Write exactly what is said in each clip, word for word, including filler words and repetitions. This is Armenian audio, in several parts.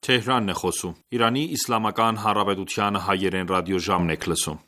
Թեհրանն է խոսում։ Իրանի Իսլամական Հանրապետության հայերեն ռադիոժամն եք լսում։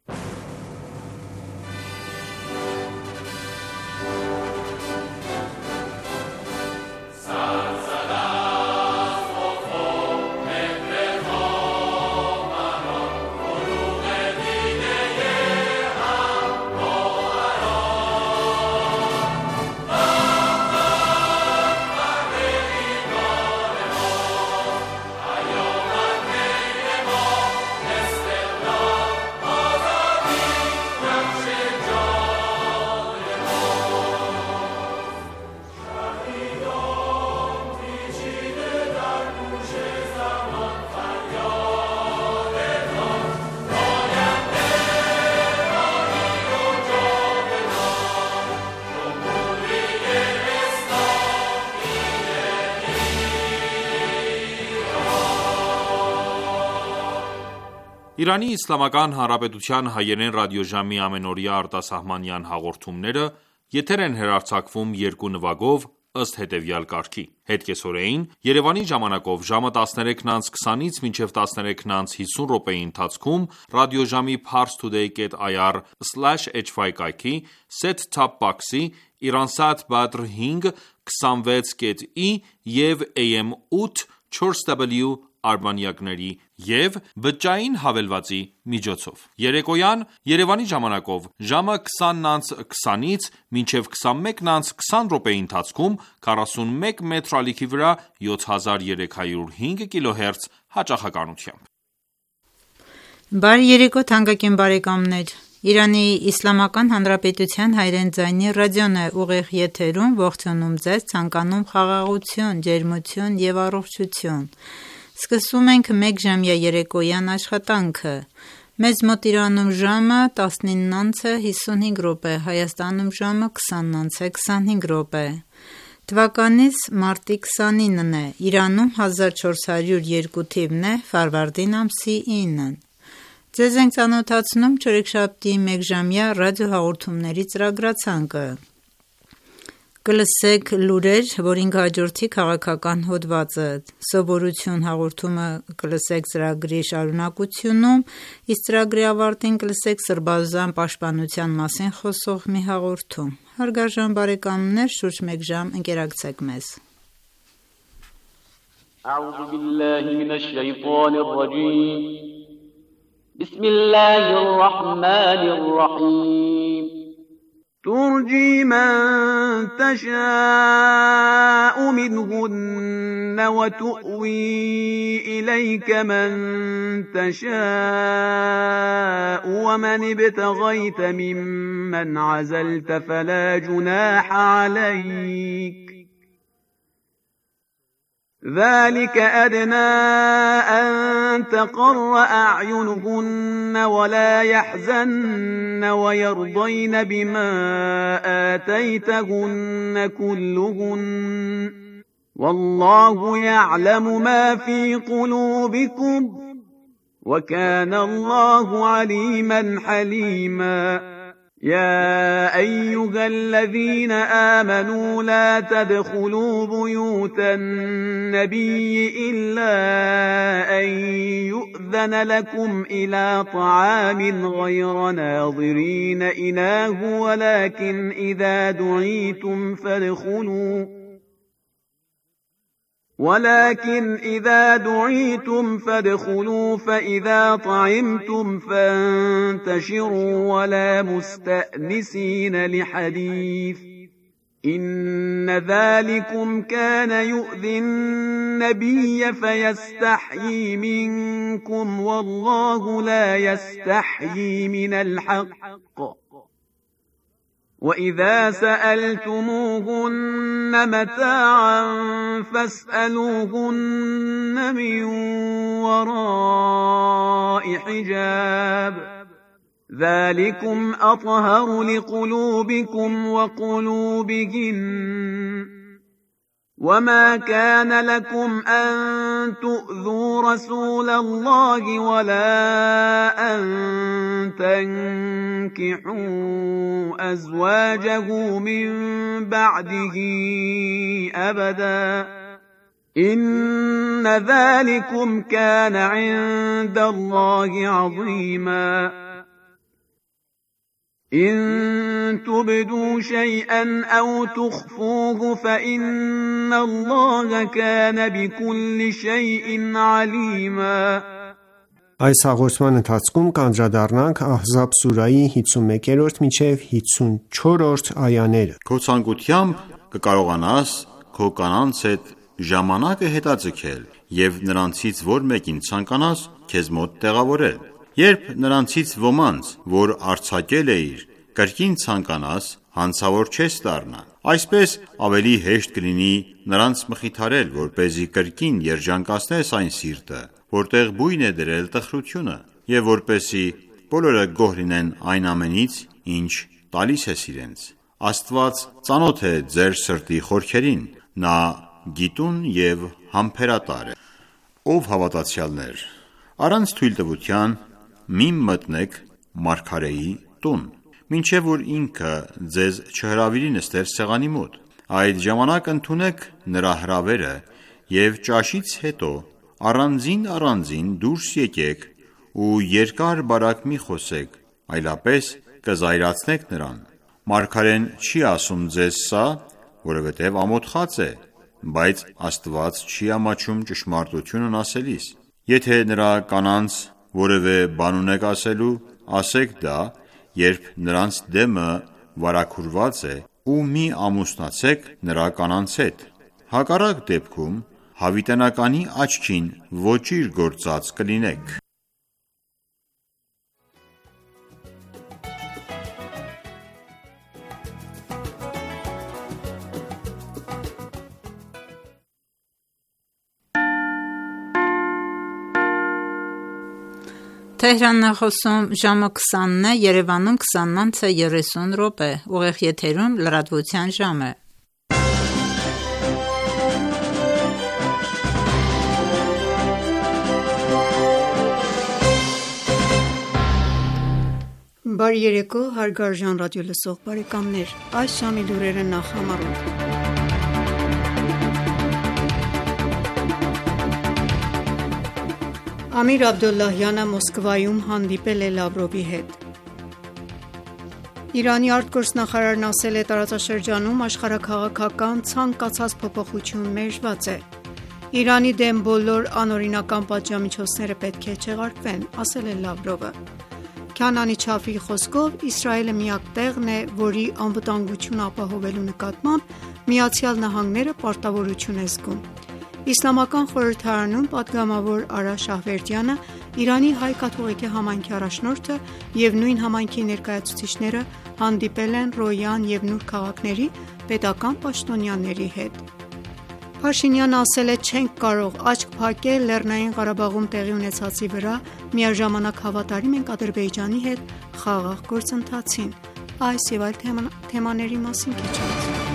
Իրանի Իսլամական Հանրապետության հայերեն ռադիոժամի ամենօրյա արտասահմանյան հաղորդումները եթեր են հեռարձակվում երկու նվագով ըստ հետևյալ կարգի. Հետկեսօրեին Երևանի ժամանակով ժամը տասներեքն անց քսանից մինչև տասներեքն անց հիսուն րոպեի ընթացքում ռադիոժամի parstoday dot i r slash h five կայքի set-top box-ի Iransat Badr հինգ քսանվեց կետ ի և A M ութ չորս W արբանյակների և բջջային հավելվածի միջոցով։ Երեկոյան Երևանի ժամանակով ժամը քսանն անց քսանից մինչև քսանմեկն անց քսան րոպեի ընթացքում քառասունմեկ մետր ալիքի վրա յոթ հազար երեք հարյուր հինգ կիլոհերց հաճախականությամբ։ Բարի երեկո թանկագին բարեկամներ, Իրանի Իսլամական Հանրապետության հայերեն ձայնի ռադիոն է ուղիղ եթերում ողջունում ձեզ, ցանկանում խաղաղություն, ջերմություն և առողջություն։ Սկսում ենք մեկ ժամյա երեկոյան աշխատանքը։ Մեզ մոտ Իրանում ժամը տասնինն անց է հիսունհինգ րոպե, Հայաստանում ժամը քսանն անց է քսանհինգ րոպե։ Թվականից մարտի քսանինն է, Իրանում հազար չորս հարյուր երկու թիվն է, Ֆարվարդին ամսի ինն։ Ձեզ ենք ծանոթացնում չորեքշաբթի մեկժամյա ռադիոհաղորդումների ծրագրացանկը։ Կլսեք լուրեր, որին կհաջորդի քաղաքական հոդվածը, սովորություն հաղորդումը կլսեք ծրագրի շարունակությունում, իսկ ծրագրի ավարտին կլսեք սրբազան պաշտպանության մասին խոսող մի հաղորդում։ Հարգարժան բարեկամներ, շուրջ մեկ ժամ ընկերակցեք մեզ։ أعوذ بالله من الشيطان الرجيم بسم الله الرحمن الرحيم ترجي من تشاء منهن وتؤوي إليك من تشاء ومن ابتغيت ممن عزلت فلا جناح عليك ذلك أدنى أن تقر أعينهن ولا يحزن ويرضين بما آتيتهن كلهن والله يعلم ما في قلوبكم وكان الله عليما حليما يا أيها الذين آمنوا لا تدخلوا بيوت النبي إلا أن يؤذن لكم إلى طعام غير ناظرين إناه ولكن إذا دعيتم فادخلوا ولكن إذا دعيتم فادخلوا فإذا طعمتم فانتشروا ولا مستأنسين لحديث إن ذلكم كان يؤذي النبي فيستحيي منكم والله لا يستحيي من الحق وإذا سألتموهن متاعا فاسألوهن من وراء حجاب ذلكم أطهر لقلوبكم وقلوبهن وما كان لكم أن تؤذوا رسول الله ولا أن تنكحوا أزواجه من بعده أبدا إن ذلكم كان عند الله عظيما إن تبدوا شيئا أو تخفوه فإن الله كان بكل شيء عليما Այս հաղորդման ընթացքում կանդրադառնանք Ահզաբ սուրայի հինգսունմեկերորդ մինչև հինգսունչորրորդ այաները։ Քո ցանկությամբ կկարողանաս քո կանանց հետ ժամանակը հետաձգել և նրանցից որ մեկին ցանկանաս քեզ մոտ տեղավորել։ Երբ նրանցից ոմանց, որ արձակել էիր, կրկին ցանկանաս, հանցավոր չես դառնա։ Այսպես ավելի հեշտ կլինի նրանց մխիթարել, որպեսզի կրկին երջանկացնես այն սիրտը, որտեղ բույն է դրել տխրությունը, և որպեսզի բոլորը գոհ լինեն այն ամենից, ինչ տալիս ես իրենց։ Աստված ծանոթ է ձեր սրտի խորքերին, նա գիտուն և համբերատար է։ Ով հավատացյալներ, առանց թույլտվության մի մտնեք մարգարեի տուն, մինչև որ ինքը ձեզ չհրավիրի նստել սեղանի մոտ։ Այդ ժամանակ ընդունեք նրա հրավերը և ճաշից հետո առանձին առանձին դուրս եկեք ու երկար բարակ մի խոսեք, այլապես կզայրացնեք նրան։ Մարգարեն չի ասում ձեզ սա, որովհետև ամոթխած է, բայց Աստված չի ամաչում ճշմարտությունն ասելիս։ Եթե նրա կանանց որևէ բան ունեք ասելու, ասեք դա, երբ նրանց դեմը վարագուրված է, ու մի ամուսնացեք նրա կանանց հետ։ Հակառակ դեպքում հավիտենականի աչքին ոճիր գործած կլինեք։ Թեհրանն է խոսում ժամը քսանն է, Երևանում քսանն անց է երեսուն րոպե, ուղիղ եթերում լրատվության ժամ է։ Բարի երեկո, հարգարժան ռադիոլսող բարեկամներ, այս ժամի լուրերը նախ համարոտ։ Ամիր Աբդոլլահյանը Մոսկվայում հանդիպել է Լավրովի հետ։ Իրանի արտգործնախարարն ասել է տարածաշրջանում աշխարհաքաղաքական ցանկացած փոփոխություն մերժված է։ Իրանի դեմ բոլոր անօրինական պատժամիջոցները պետք է չեղարկվեն, ասել է Լավրովը։ Քանանի Չաֆիի խոսքով Իսրայելը միակ տեղն է, որի անվտանգությունը ապահովելու նկատմամբ Միացյալ Նահանգները պարտավորություն է զգում։ Իսլամական խորհրդարանում պատգամավոր Արա Շահվերդյանը, Իրանի հայ կաթողիկե համայնքի առաջնորդը և նույն համայնքի ներկայացուցիչները հանդիպել են Ռոյան և Նուր քաղաքների պետական պաշտոնյաների հետ։ Փաշինյանը ասել է չենք կարող աչք փակել Լեռնային Ղարաբաղում տեղի ունեցածի վրա, միաժամանակ հավատարիմ ենք Ադրբեջանի հետ խաղաղ գործընթացին։ Այս և այլ թեմաների մասին քիչ անց։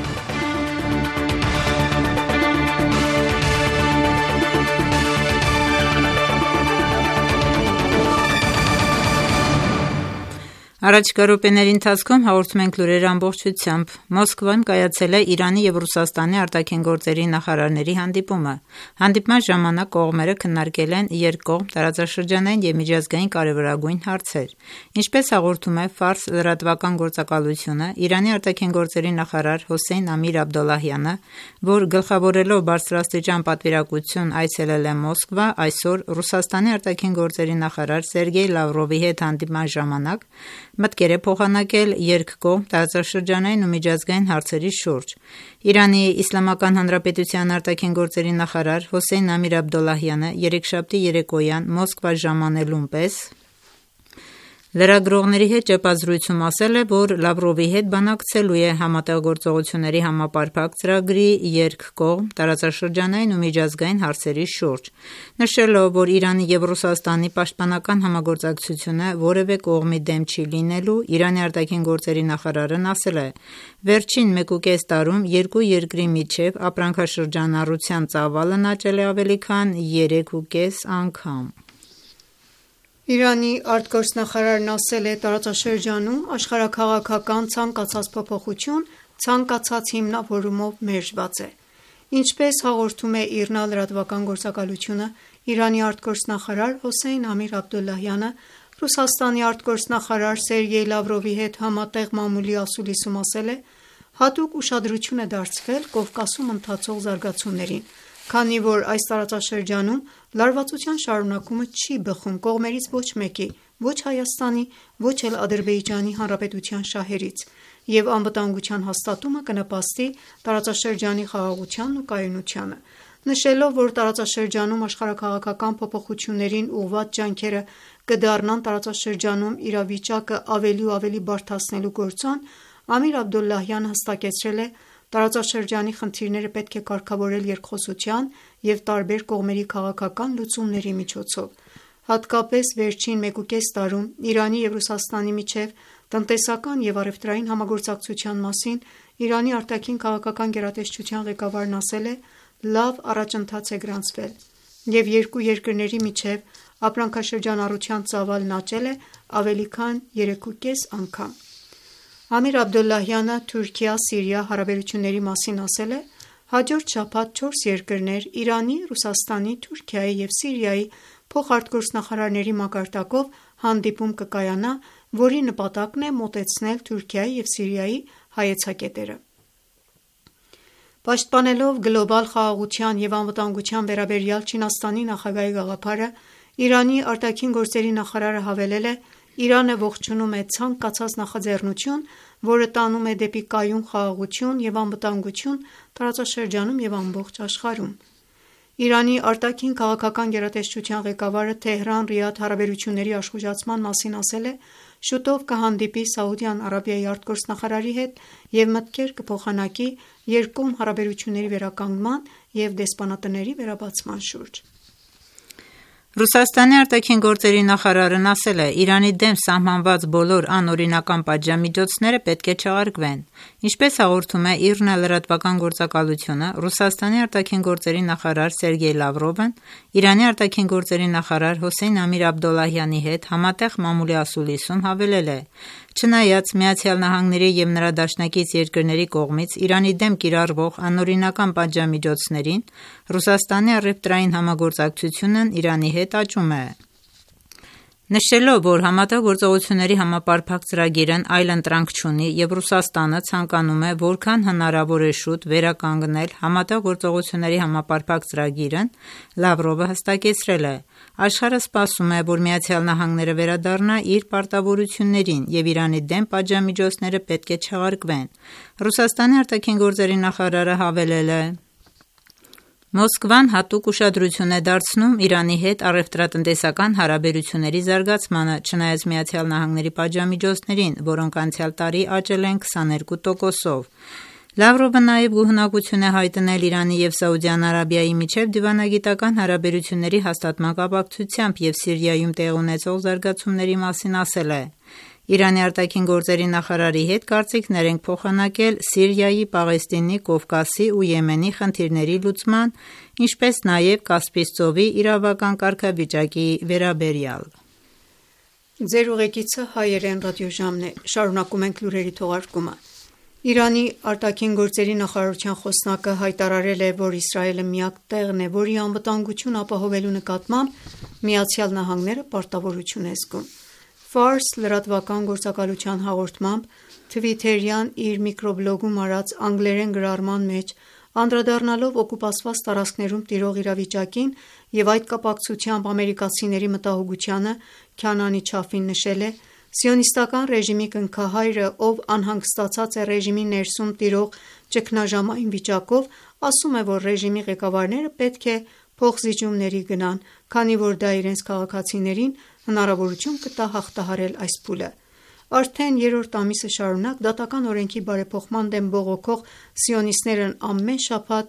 Առաջիկա րոպեների ընթացքում հաղորդում ենք լուրերը ամբողջությամբ։ Մոսկվայում կայացել է Իրանի և Ռուսաստանի արտաքին գործերի նախարարների հանդիպումը։ Հանդիպման ժամանակ կողմերը քննարկել են երկկողմ, տարածաշրջանային և միջազգային կարևորագույն հարցեր։ Ինչպես հաղորդում է Ֆարս լրատվական գործակալությունը, Իրանի արտաքին գործերի նախարար Հոսեյն Ամիր Աբդոլլահյանը, որ գլխավորելով բարձրաստիճան պատվիրակություն այցելել է Մոսկվա, այսօր Ռուսաստանի արտաքին գործերի նախարար Սերգեյ Լավրովի հետ հանդիպման ժամանակ մտքեր է փոխանակել երկկողմ, տարածաշրջանային ու միջազգային հարցերի շուրջ։ Իրանի Իսլամական Հանրապետության արտաքին գործերի նախարար Հոսեյն Ամիր Աբդոլլահյանը երեքշաբթի երեկոյան Մոսկվա ժամանելուն պես լրագրողների հետ ճեպազրույցում ասել է, որ Լավրովի հետ բանակցելու է համատեղգործողությունների համապարփակ ծրագրի երկկողմ, տարածաշրջանային ու միջազգային հարցերի շուրջ, նշելով, որ Իրանի և Ռուսաստանի պաշտպանական համագործակցությունը որևէ կողմի դեմ չի լինելու, Իրանի արտաքին գործերի նախարարն ասել է. «Վերջին մեկուկես տարում երկու երկրի միջև ապրանքաշրջանառության ծավալն աճել է ավելի քան երեքուկես անգամ»։ Իրանի արտգործնախարարն ասել է տարածաշրջանում աշխարհաքաղաքական ցանկացած փոփոխություն ցանկացած հիմնավորումով մերժված է։ Ինչպես հաղորդում է ԻՌՆԱ լրատվական գործակալությունը, Իրանի արտգործնախարար Հոսեյն Ամիր Աբդոլլահյանը Ռուսաստանի արտգործնախարար Սերգեյ Լավրովի հետ համատեղ մամուլի ասուլիսում ասել է. «Հատուկ ուշադրություն է դարձվել Կովկասում ընթացող զարգացումներին, քանի որ այս տարածաշրջանում լարվածության շարունակումը չի բխում կողմերից ոչ մեկի, ոչ Հայաստանի, ոչ էլ Ադրբեջանի Հանրապետության շահերից, և անվտանգության հաստատումը կնպաստի տարածաշրջանի խաղաղությանն ու կայունությանը»։ Նշելով, որ տարածաշրջանում աշխարհաքաղաքական փոփոխություններին ուղղված ջանքերը կդառնան տարածաշրջանում իրավիճակը ավելի ու ավելի բարդացնելու գործոն, Ամիր Աբդոլլահյանը հստակեցրել է. «Տարածաշրջանի խնդիրները պետք է կարգավորել երկխոսության և տարբեր կողմերի քաղաքական լուծումների միջոցով»։ Հատկապես վերջին մեկուկես տարում Իրանի և Ռուսաստանի միջև տնտեսական և առևտրային համագործակցության մասին Իրանի արտաքին քաղաքական գերատեսչության ղեկավարն ասել է. «Լավ առաջընթաց է գրանցվել և երկու երկրների միջև ապրանքաշրջանառության ծավալն աճել է ավելի քան երեքուկես անգամ»։ Ամիր Աբդոլլահյանը Թուրքիա-Սիրիա հարաբերությունների մասին ասել է. «Հաջորդ շաբաթ չորս երկրներ Իրանի, Ռուսաստանի, Թուրքիայի և Սիրիայի փոխարտգործնախարարների մակարդակով հանդիպում կկայանա, որի նպատակն է մոտեցնել Թուրքիայի և Սիրիայի հայեցակետերը»։ Պաշտպանելով գլոբալ խաղաղության և անվտանգության վերաբերյալ Չինաստանի նախագահի գաղափարը, Իրանի արտաքին գործերի նախարարը հավելել է. «Իրանը ողջունում է ցանկացած նախաձեռնություն, որը տանում է դեպի կայուն խաղաղություն և անվտանգություն տարածաշրջանում և ամբողջ աշխարհում»։ Իրանի արտաքին քաղաքական գերատեսչության ղեկավարը Թեհրան-Ռիադ հարաբերությունների աշխուժացման մասին ասել է. «Շուտով կհանդիպի Սաուդյան Արաբիայի արտգործնախարարի հետ և մտքեր կփոխանակի երկկողմ հարաբերությունների վերականգնման և դեսպանատների վերաբացման շուրջ»։ Ռուսաստանի արտաքին գործերի նախարարն ասել է. «Իրանի դեմ սահմանված բոլոր անօրինական պատժամիջոցները պետք է չեղարկվեն»։ Ինչպես հաղորդում է ԻՌՆԱ լրատվական գործակալությունը, Ռուսաստանի արտաքին գործերի նախարար Սերգեյ Լավրովն Իրանի արտաքին գործերի նախարար Հոսեյն Ամիր Աբդոլլահյանի հետ համատեղ մամուլի ասուլիսում հավելել է. «Չնայած ԱՄՆ-ի և նրա դաշնակից երկրների կողմից Իրանի դեմ կիրառվող անօրինական պատժամիջոցներին, Ռուսաստանի առևտրային համագործակցությունն Իրանի հետ աճում է»։ Նշելով, որ Համատեղ գործողությունների համապարփակ ծրագիրն այլընտրանք չունի և Ռուսաստանը ցանկանում է որքան հնարավոր է շուտ վերականգնել Համատեղ գործողությունների համապարփակ ծրագիրն, Լավրովը հստակեցրել է. «Աշխարհը սպասում է, որ ԱՄՆ-ն վերադառնա իր պարտավորություններին և Իրանի դեմ պատժամիջոցները պետք է չեղարկվեն»։ Ռուսաստանի արտաքին գործերի նախարարը հավելել է. «Մոսկվան հատուկ ուշադրություն է դարձնում Իրանի հետ առևտրատնտեսական հարաբերությունների զարգացմանը, չնայած ԱՄՆ-ի պատժամիջոցներին, որոնք անցյալ տարի աճել են քսաներկու տոկոսով»։ Լավրովը նաև գոհունակություն է հայտնել Իրանի և Սաուդյան Արաբիայի միջև դիվանագիտական հարաբերությունների հաստատման կապակցությամբ և Սիրիայում տեղի ունեցող զարգացումների մասին ասել է. «Իրանի արտաքին գործերի նախարարի հետ կարծիքներ ենք փոխանակել Սիրիայի, Պաղեստինի, Կովկասի ու Եմենի խնդիրների լուծման, ինչպես նաև Կասպից ծովի իրավական կարգավիճակի վերաբերյալ»։ Իրանի արտաքին գործերի նախարարության խոսնակը հայտարարել է, որ Իսրայելը միակ տեղն է, որի անվտանգությունը ապահովելու նկատմամբ ԱՄՆ-ն պարտավորություն է զգում։ Ֆարս լրատվական գործակալության հաղորդմամբ թվիթերյան իր միկրոբլոգում արած անգլերեն գրառման մեջ անդրադառնալով օկուպացված տարածքներում տիրող իրավիճակին և այդ կապակցությամբ ամերիկացիների մտահոգությանը, Քանանի Չաֆին նշել է. «Սիոնիստական ռեժիմի կնքահայրը, ով անհանգստացած է ռեժիմի ներսում տիրող ճգնաժամային վիճակով, ասում է, որ ռեժիմի ղեկավարները պետք է փոխզիջումների գնան, քանի որ դա իրենց քաղաքացիներին հնարավորություն կտա հաղթահարել այս փուլը»։ Արդեն երրորդ ամիսը շարունակ դատական օրենքի բարեփոխման դեմ բողոքող սիոնիստներն ամեն շաբաթ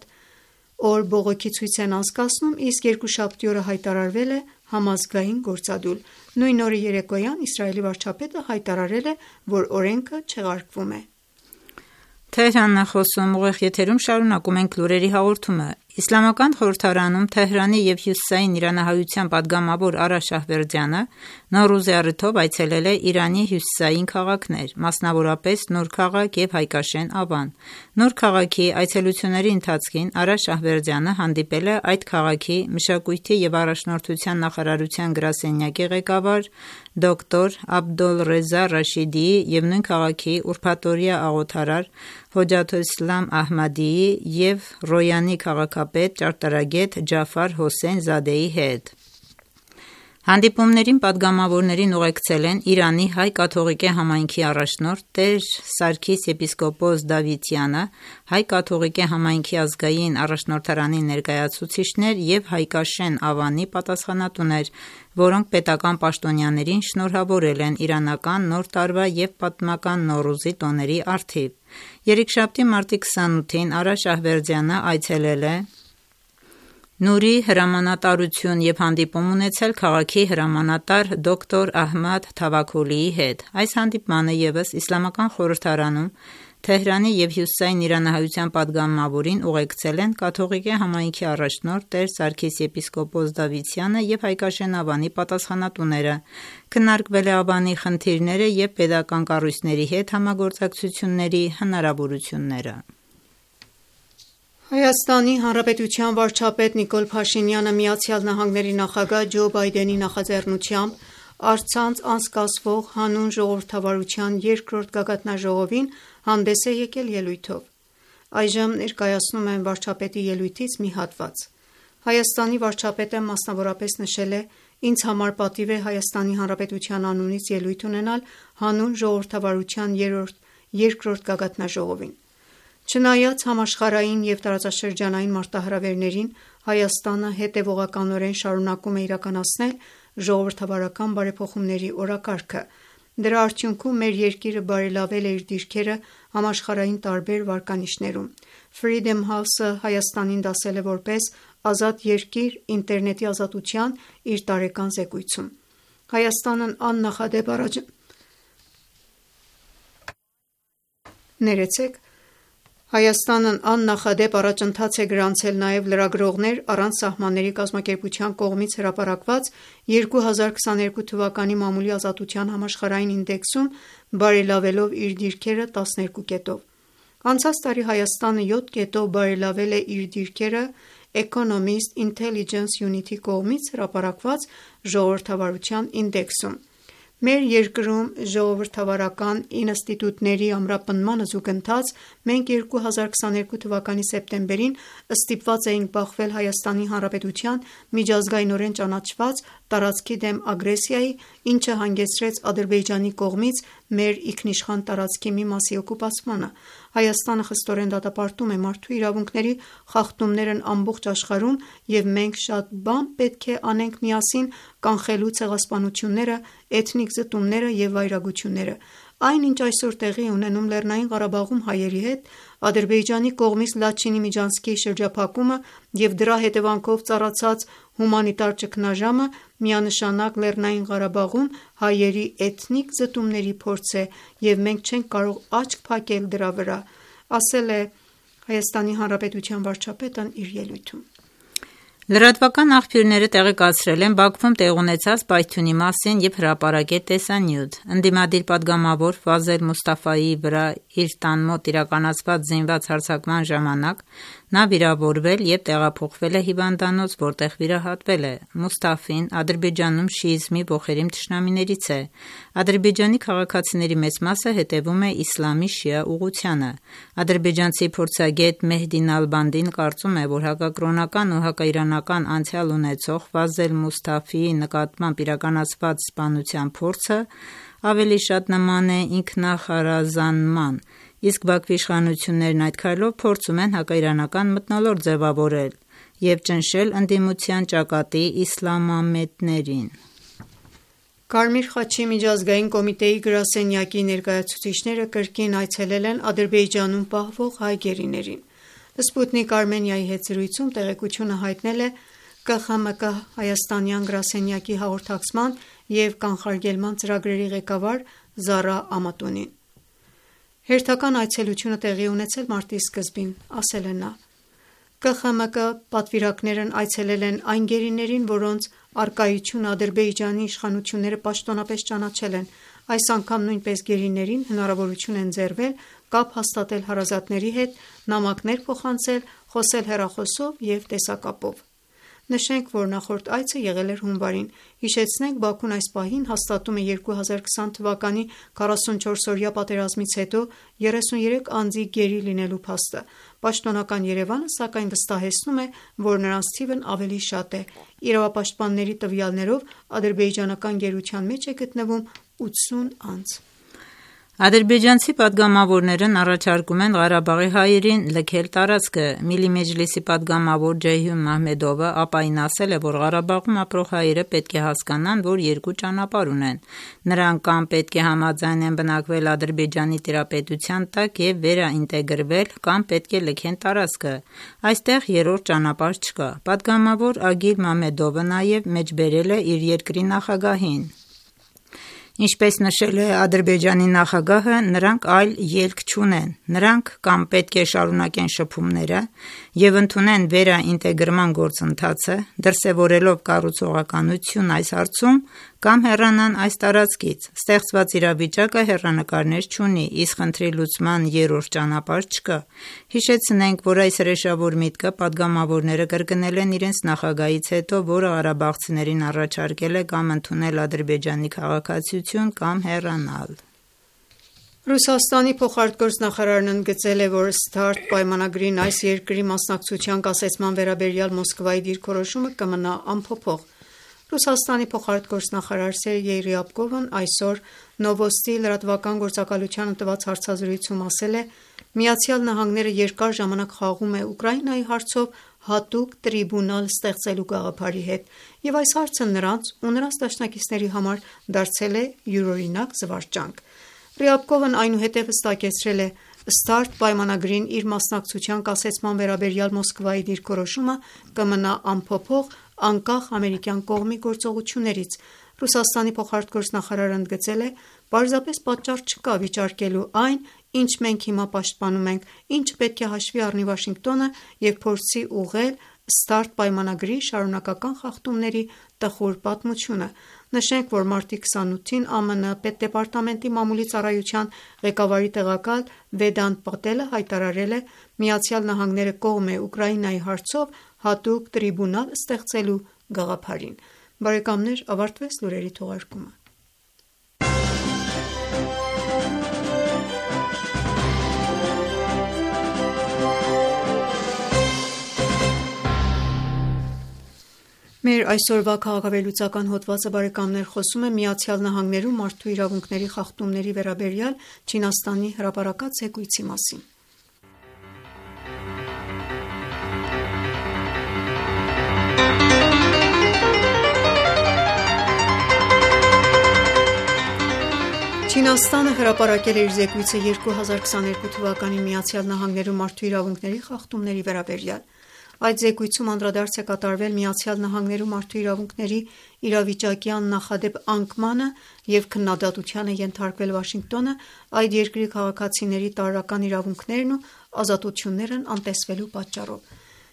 օր բողոքի ցույց են անցկացնում, իսկ երկուշաբթի օրը հայտարարվել է համազգային գործադուլ։ Նույն օրը երեկոյան Իսրայելի վարչապետը հայտարարել է, որ օրենքը չեղարկվում է։ Իսլամական խորհրդարանում Թեհրանի և Հյուսիսային իրանահայության պատգամավոր Արա Շահվերդյանը Նոռուզի առիթով այցելել է Իրանի հյուսիսային քաղաքներ, մասնավորապես Նոր քաղաք և Հայկաշեն Ավան։ Նոր քաղաքի այցելությունների ընթացքին Արա Շահվերդյանը հանդիպել է այդ քաղաքի մշակույթի և առաջնորդության նախարարության գրասենյակի ղեկավար դոկտոր Աբդոլռեզա Ռաշիդիի և նույն քաղաքի ուրբաթօրյա աղոթարար Հոջաթոլիսլամ Ահմադիի և Ռոյանի քաղաքապետ ճարտարագետ Ջաֆար Հոսեյն Զադեի հետ։ Հանդիպումներին պատգամավորներին ուղեկցել են Իրանի հայ կաթողիկե համայնքի առաջնորդ Տեր Սարգիս եպիսկոպոս Դավիթյանը, հայ կաթողիկե համայնքի ազգային առաջնորդարանի ներկայացուցիչներ և Հայկաշեն Ավանի պատասխանատուներ, որոնք պետական պաշտոնյաներին շնորհավորել են իրանական Նոր տարվա և պատմական Նոռուզի տոների առթիվ։ Երեքշաբթի, մարտի քսանութին Արա Շահվերդյանը այցելել է Նուրի հրամանատարություն և հանդիպում ունեցել քաղաքի հրամանատար դոկտոր Ահմադ Թավաքոլիի հետ։ Այս հանդիպմանը ևս Իսլամական խորհրդարանում Թեհրանի և Հյուսիսային իրանահայության պատգամավորին ուղեկցել են կաթողիկե համայնքի առաջնորդ Տեր Սարգիս եպիսկոպոս Դավիթյանը և Հայկաշեն Ավանի պատասխանատուները։ Քննարկվել է Ավանի խնդիրները և պետական կառույցների հետ համագործակցությունների հնարավորությունները։ Հայաստանի Հանրապետության վարչապետ Նիկոլ Փաշինյանը Միացյալ Նահանգների նախագահ Ջո Բայդենի նախաձեռնությամբ առցանց անցկացվող հանուն ժողովրդավարության երկրորդ գագաթնաժողովին հանդես է եկել ելույթով։ Այժմ ներկայացնում եմ վարչապետի ելույթից մի հատված։ Հայաստանի վարչապետը մասնավորապես նշել է. «Ինձ համար պատիվ է Հայաստանի Հանրապետության անունից ելույթ ունենալ հանուն ժողովրդավարության երկրորդ գագաթնաժողովին։ Չնայած համաշխարհային և տարածաշրջանային մարտահրավերներին, Հայաստանը հետևողականորեն շարունակում է իրականացնել ժողովրդավարական բարեփոխումների օրակարգը։ Դրա արդյունքում մեր երկիրը բարելավել է իր դիրքերը համաշխարհային տարբեր վարկանիշներում։ Freedom House-ը Հայաստանին դասել է որպես ազատ երկիր ինտերնետի ազատության իր տարեկան զեկույցում։ Հայաստանն աննախադեպ առաջ... Ներեցեք, Հայաստանն աննախադեպ առաջընթաց է գրանցել նաև Լրագրողներ առանց սահմանների կազմակերպության կողմից հրապարակված երկու հազար քսաներկու թվականի մամուլի ազատության համաշխարհային ինդեքսում, բարելավելով իր դիրքերը տասներկու կետով։ Անցած տարի Հայաստանը յոթ կետով բարելավել է իր դիրքերը Economist Intelligence Unit-ի կողմից հրապարակված ժողովրդավարության ինդեքսում։ Մեր երկրում ժողովրդավարական ինստիտուտների ամրապնդմանը զուգընթաց մենք երկու հազար քսաներկու թվականի սեպտեմբերին ստիպված էինք բախվել Հայաստանի Հանրապետության միջազգայնորեն ճանաչված տարածքի դեմ ագրեսիայի, ինչը հանգեցրեց Ադրբեջանի կողմից մեր ինքնիշխան տարածքի մի մասի օկուպացմանը։ Հայաստանը խստորեն դատապարտում է մարդու իրավունքների խախտումներն ամբողջ աշխարհում, և մենք շատ բան պետք է անենք միասին կանխելու ցեղասպանությունները, էթնիկ զտումները և վայրագությունները։ Այն, ինչ այսօր տեղի է ունենում Լեռնային Ղարաբաղում հայերի հետ, Ադրբեջանի կողմից Լաչինի միջանցքի շրջափակումը և դրա հետևանքով ծառացած հումանիտար ճգնաժամը միանշանակ Լեռնային Ղարաբաղում հայերի էթնիկ զտումների փորձ է, և մենք չենք կարող աչք փակել դրա վրա, ասել է ՀՀ վարչապետն իր ելույթում։ Լրատվական աղբյուրները տեղեկացրել են Բաքվում տեղի ունեցած պայթյունի մասին և հրապարակել տեսանյութ։ Ընդդիմադիր պատգամավոր Ֆազել Մուստաֆայիի վրա իր տան մոտ իրականացված զինված հարձակման ժամանակ նա վիրավորվել և տեղափոխվել է հիվանդանոց, որտեղ վիրահատվել է։ Մուստաֆին Ադրբեջանում շիիզմի ոխերիմ թշնամիներից է։ Ադրբեջանի քաղաքացիների մեծ մասը հետևում է իսլամի շիա ուղղությանը։ Ադրբեջանցի փորձագետ Մեհդի Նալբանդին կարծում է, որ հակակրոնական ու հակաիրանական անցյալ ունեցող Ֆազել Մուստաֆիի նկատմամբ իրականացված սպանության փորձը ավելի շատ նման է ինքնախարազանման, իսկ Բաքվի իշխանություններն այդ քայլով փորձում են հակաիրանական մթնոլորտ ձևավորել և ճնշել ընդդիմության ճակատի իսլամամետներին։ Կարմիր խաչի միջազգային կոմիտեի գրասենյակի ներկայացուցիչները կրկին այցելել են Ադրբեջանում պահվող հայ գերիներին։ Սպուտնիկ Արմենիայի հետ զրույցում տեղեկությունը հայտնել է Կ Խ M K հայաստանյան գրասենյակի հաղորդակցման և կանխարգելման ծրագրերի ղեկավար Զարա K X M K պատվիրակներն այցելել են այն գերիներին, որոնց առկայությունը Ադրբեջանի իշխանությունները պաշտոնապես ճանաչել են։ Այս անգամ նույնպես գերիներին հնարավորություն են ընձեռվել կապ հաստատել հարազատների հետ, նամակներ փոխանցել, խոսել հեռախոսով և տեսակապով։ Նշենք, որ նախորդ այցը եղել էր հունվարին։ Հիշեցնենք, Բաքուն այս պահին հաստատում է երկու հազար քսան թվականի քառասունչորսօրյա պատերազմից հետո երեսուներեք անձի գերի լինելու փաստը։ Պաշտոնական Երևանը սակայն վստահեցնում է, որ նրանց թիվն ավելի շատ է։ Իրավապաշտպանների տվյալներով ադրբեջանական գերության մեջ է գտնվում ութսուն անձ։ Ադրբեջանցի պատգամավորներն առաջարկում են Ղարաբաղի հայերին լքել տարածքը։ Միլի Մեջլիսի պատգամավոր Ջեյհուն Մահմեդովը ապային ասել է, որ Ղարաբաղում ապրող հայերը պետք է հասկանան, որ երկու ճանապարհ ունեն։ Նրանք կամ պետք է համաձայնեն բնակվել Ադրբեջանի տիրապետության տակ և վերաինտեգրվել, կամ պետք է լքեն տարածքը։ Այստեղ երրորդ ճանապարհ չկա։ Պատգամավոր Ագիլ Մամեդովը նաև մեջբերել է իր երկրի նախագահին։ Ինչպես նշել է Ադրբեջանի նախագահը, նրանք այլ ելք չունեն։ Նրանք կամ պետք է շարունակեն շփումները և ընդունեն վերաինտեգրման գործընթացը, դրսևորելով կառուցողականություն այս հարցում, կամ հեռանան այս տարածքից։ Ստեղծված իրավիճակը հեռանկարներ չունի, իսկ խնդրի լուծման երրորդ ճանապարհ չկա։ Հիշեցնենք, որ այս հրեշավոր միտքը պատգամավորները կրկնել են իրենց նախագահից հետո, որը ղարաբաղցիներին առաջարկել է կամ ընդունել Ադրբեջանի քաղաքացիություն, կամ հեռանալ։ Ռուսաստանի փոխարտգործնախարարն ընդգծել է, որ START պայմանագրին այս երկրի մասնակցության կասեցման վերաբերյալ Մոսկվայի դիրքորոշումը կմնա անփոփոխ։ Ռուսաստանի փոխարտգործնախարար Սերգեյ Ռյաբկովն այսօր Նովոստի լրատվական գործակալությանը տված հարցազրույցում ասել է. «Միացյալ Նահանգները երկար ժամանակ խաղում է Ուկրաինայի հարցով հատուկ տրիբունալ ստեղծելու գաղափարի հետ, և այս հարցը նրանց ու նրանց դաշնակիցների համար դարձել է յուրօրինակ զվարճանք»։ Ռյաբկովն այնուհետև հստակեցրել է. «START պայմանագրին իր մասնակցության կասեցման վերաբերյալ Մոսկվայի դիրքորոշումը կմնա անփոփոխ անկախ ամերիկյան կողմի գործողություններից»։ Ռուսաստանի փոխարտգործնախարարը ընդգծել է. «Պարզապես պատճառ չկա վիճարկելու այն, ինչ մենք հիմա պաշտպանում ենք, ինչը պետք է հաշվի առնի Վաշինգտոնը և փորձի ուղղել START պայմանագրի շարունակական խախտումների տխուր պատմությունը»։ Նշենք, որ մարտի քսանութին ԱՄՆ պետդեպարտամենտի մամուլի ծառայության ղեկավարի տեղակալ Վեդանտ Պատելը հայտարարել է. «Միացյալ Նահանգները կողմ է Ուկրաինայի հարցով հատուկ տրիբունալ ստեղծելու գաղափարին»։ Բարեկամներ, ավարտվեց լուրերի թողարկումը։ Մեր այսօրվա քաղաքավերլուծական հոդվածը բարեկամներ խոսում է Միացյալ Նահանգներում մարդու իրավունքների խախտումների վերաբերյալ Չինաստանի հրապարակած զեկույցի մասին։ Չինաստանը հրապարակել է իր զեկույցը երկու հազար քսաներկու թվականի Միացյալ Նահանգներում մարդու իրավունքների խախտումների վերաբերյալ։ Այդ զեկույցում անդրադարձ է կատարվել Միացյալ Նահանգներում մարդու իրավունքների իրավիճակի աննախադեպ անկմանը և քննադատության է ենթարկվել Վաշինգտոնը այդ երկրի քաղաքացիների տարրական իրավունքներն ու ազատություններն անտեսվելու պատճառով։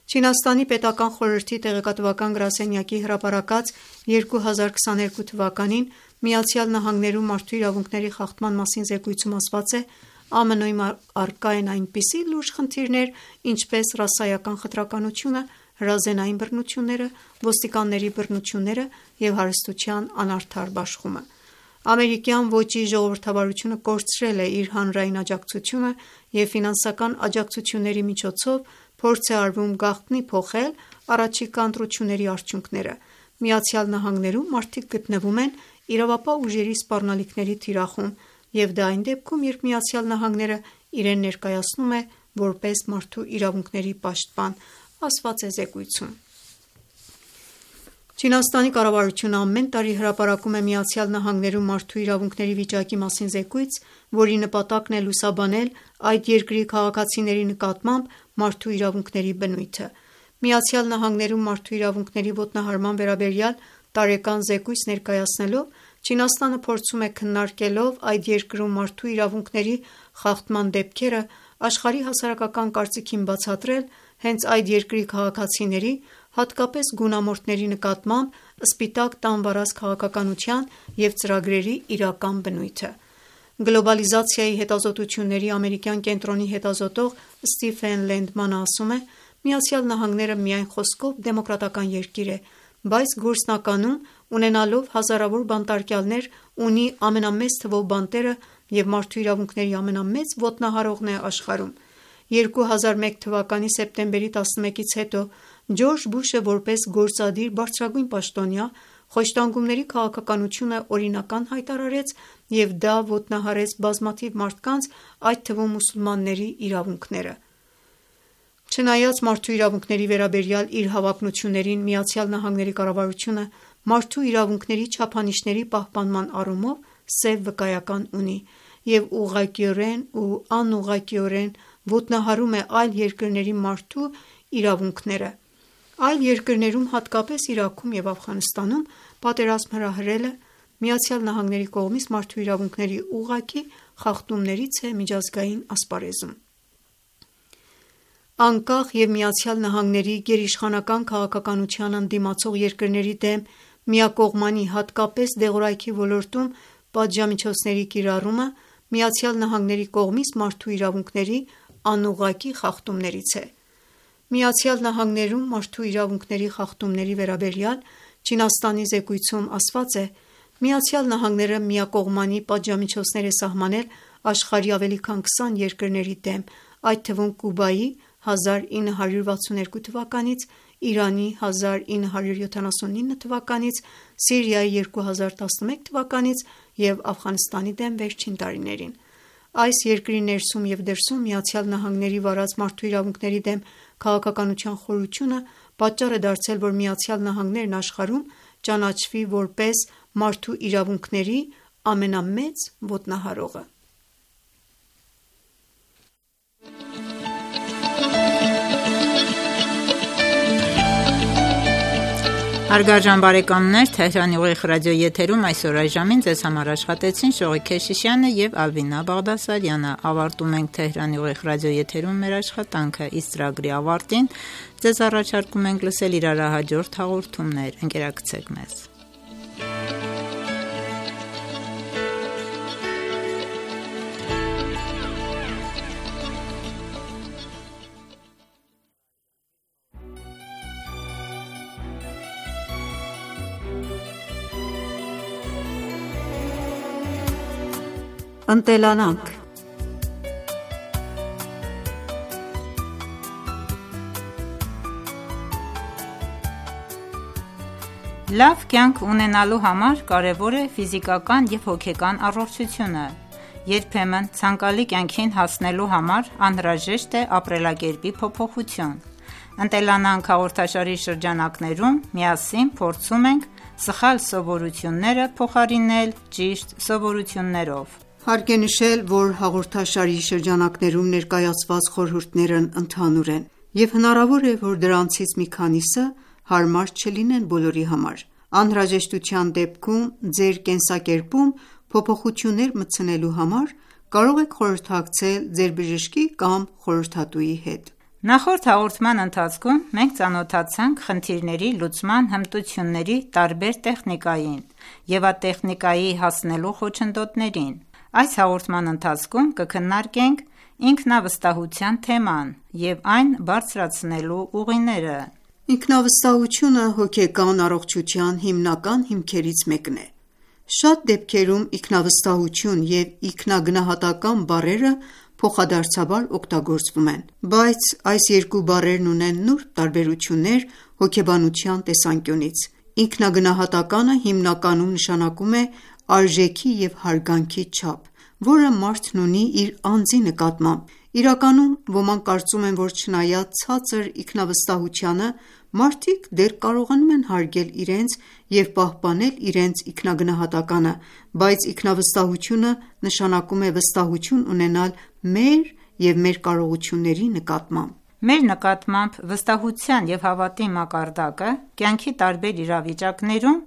Չինաստանի պետական խորհրդի տեղեկատվական գրասենյակի հրապարակած երկու հազար քսաներկու թվականին Միացյալ Նահանգներում մարդու իրավունքների խախտման մասին զեկույցում ասված է. «ԱՄՆ-ում առկա են այնպիսի լուրջ խնդիրներ, ինչպես ռասայական խտրականությունը, հրազենային բռնությունները, ոստիկանների բռնությունները և հարստության անարդար բաշխումը։ Ամերիկյան ոճի ժողովրդավարությունը կորցրել է իր հանրային աջակցությունը և ֆինանսական աջակցությունների միջոցով փորձ է արվում գաղտնի փոխել առաջիկա ընտրությունների արդյունքները։ Միացյալ Նահանգներում մարդիկ գտնվում են իրավապահ ուժերի սպառնալիքների թիրախում, և դա այն դեպքում, երբ Միացյալ Նահանգները իրեն ներկայացնում է որպես մարդու իրավունքների պաշտպան», ասված է զեկույցում։ Չինաստանի կառավարությունը ամեն տարի հրապարակում է Միացյալ Նահանգներում մարդու իրավունքների վիճակի մասին զեկույց, որի նպատակն է լուսաբանել այդ երկրի քաղաքացիների նկատմամբ մարդու իրավունքների բնույթը։ Միացյալ Նահանգներում մարդու իրավունքների ոտնահարման վերաբերյալ տարեկան զեկույց ներկայացնելով Չինաստանը փորձում է քննարկելով այդ երկրում մարդու իրավունքների խախտման դեպքերը աշխարհի հասարակական կարծիքին բացատրել, հենց այդ երկրի քաղաքացիների, հատկապես գունամորթների նկատմամբ սպիտակ տան վարած քաղաքականության և ծրագրերի իրական բնույթը: Գլոբալիզացիայի հետազոտությունների ամերիկյան կենտրոնի հետազոտող Ստիվեն Լենդմանը ասում է. «ԱՄՆ-ը միայն խոսքով դեմոկրատական երկիր է, բայց գործնականում, ունենալով հազարավոր բանտարկյալներ, ունի ամենամեծ թվով բանտերը և մարդու իրավունքների ամենամեծ ոտնահարողն է աշխարհում»: երկու հազար մեկ թվականի սեպտեմբերի տասնմեկից հետո Ջորջ Բուշը որպես գործադիր բարձրագույն պաշտոնյա խոշտանգումների քաղաքականությունը օրինական հայտարարեց և դա ոտնահարեց բազմաթիվ մարդկանց, այդ թվում մուսուլմանների իրավունքները: Չնայած մարդու իրավունքների վերաբերյալ իր հավակնություններին, ԱՄՆ կառավարությունը մարդու իրավունքների չափանիշների պահպանման առումով սև վկայական ունի և ուղղակիորեն ու անուղղակիորեն ոտնահարում է այլ երկրների մարդու իրավունքները: Այլ երկրներում, հատկապես Իրաքում և Աֆղանստանում պատերազմ հրահրելը ԱՄՆ-ի կողմից մարդու իրավունքների ուղղակի խախտումներից է միջազգային ասպարեզում: Անկախ և ԱՄՆ-ի գերիշխանական քաղաքականությանն ընդդիմացող երկրների դեմ միակողմանի, հատկապես դեղորայքի ոլորտում պատժամիջոցների կիրառումը ԱՄՆ-ի կողմից մարդու իրավունքների անուղղակի խախտումներից է: ԱՄՆ-ում մարդու իրավունքների խախտումների վերաբերյալ Չինաստանի զեկույցում ասված է. «ԱՄՆ-ը միակողմանի պատժամիջոցներ է սահմանել աշխարհի ավելի քան քսան երկրների դեմ, այդ թվում Կուբայի հազար ինը հարյուր վաթսունութ թվականից, Իրանի հազար ինը հարյուր յոթանասունինը թվականից, Սիրիայի երկու հազար տասնմեկ թվականից և Աֆղանստանի դեմ վերջին տարիներին»: Այս երկրի ներսում և դրսում ԱՄՆ-ի վարած մարդու իրավունքների դեմ քաղաքականության խորությունը պատճառ է դարձել, որ ԱՄՆ-ն աշխարհում ճանաչվի որպես մարդու իրավունքների ամենամեծ ոտնահարողը: Ձեզ առաջարկում ենք լսել իրարահաջորդ հաղորդումներ: Ընկերակցեք մեզ: Ընտելանանք Լավ կյանք ունենալու համար կարևոր է ֆիզիկական և հոգեկան առողջությունը: Երբեմն ցանկալի կյանքին հասնելու համար անհրաժեշտ է ապրելակերպի փոփոխություն: «Ընտելանանք» հաղորդաշարի շրջանակներում միասին փորձում ենք սխալ սովորությունները փոխարինել ճիշտ սովորություններով: Հարկ է նշել, որ հաղորդաշարի շրջանակներում ներկայացված խորհուրդներն ընդհանուր են, և հնարավոր է, որ դրանցից մի քանիսը հարմար չլինեն բոլորի համար: Անհրաժեշտության դեպքում ձեր կենսակերպում փոփոխություններ մտցնելու համար կարող եք խորհրդակցել ձեր բժշկի կամ խորհրդատուի հետ: Նախորդ հաղորդման ընթացքում մենք ծանոթացանք խնդիրների լուծման հմտությունների տարբեր տեխնիկային և այդ տեխնիկայի հասնելու խոչընդոտներին: Այս հաղորդման ընթացքում կքննարկենք ինքնավստահության թեման և այն բարձրացնելու ուղիները: Ինքնավստահությունը հոգեկան առողջության հիմնական հիմքերից մեկն է: Շատ դեպքերում ինքնավստահություն և ինքնագնահատական բառերը փոխադարձաբար օգտագործվում են: Բայց այս երկու բառերն ունեն նուրբ տարբերություններ հոգեբանության տեսանկյունից: Ինքնագնահատականը հիմնականում նշանակում է արժեքի և հարգանքի չափ, որը մարդն ունի իր անձի նկատմամբ: Իրականում ոմանք կարծում են, որ չնայած ցածր ինքնավստահությանը, մարդիկ դեռ կարողանում են հարգել իրենց և պահպանել իրենց ինքնագնահատականը, բայց ինքնավստահությունը նշանակում է վստահություն ունենալ մեր և մեր կարողությունների նկատմամբ: Մեր նկատմամբ վստահության և հավատի մակարդակը կյանքի տարբեր իրավիճակներում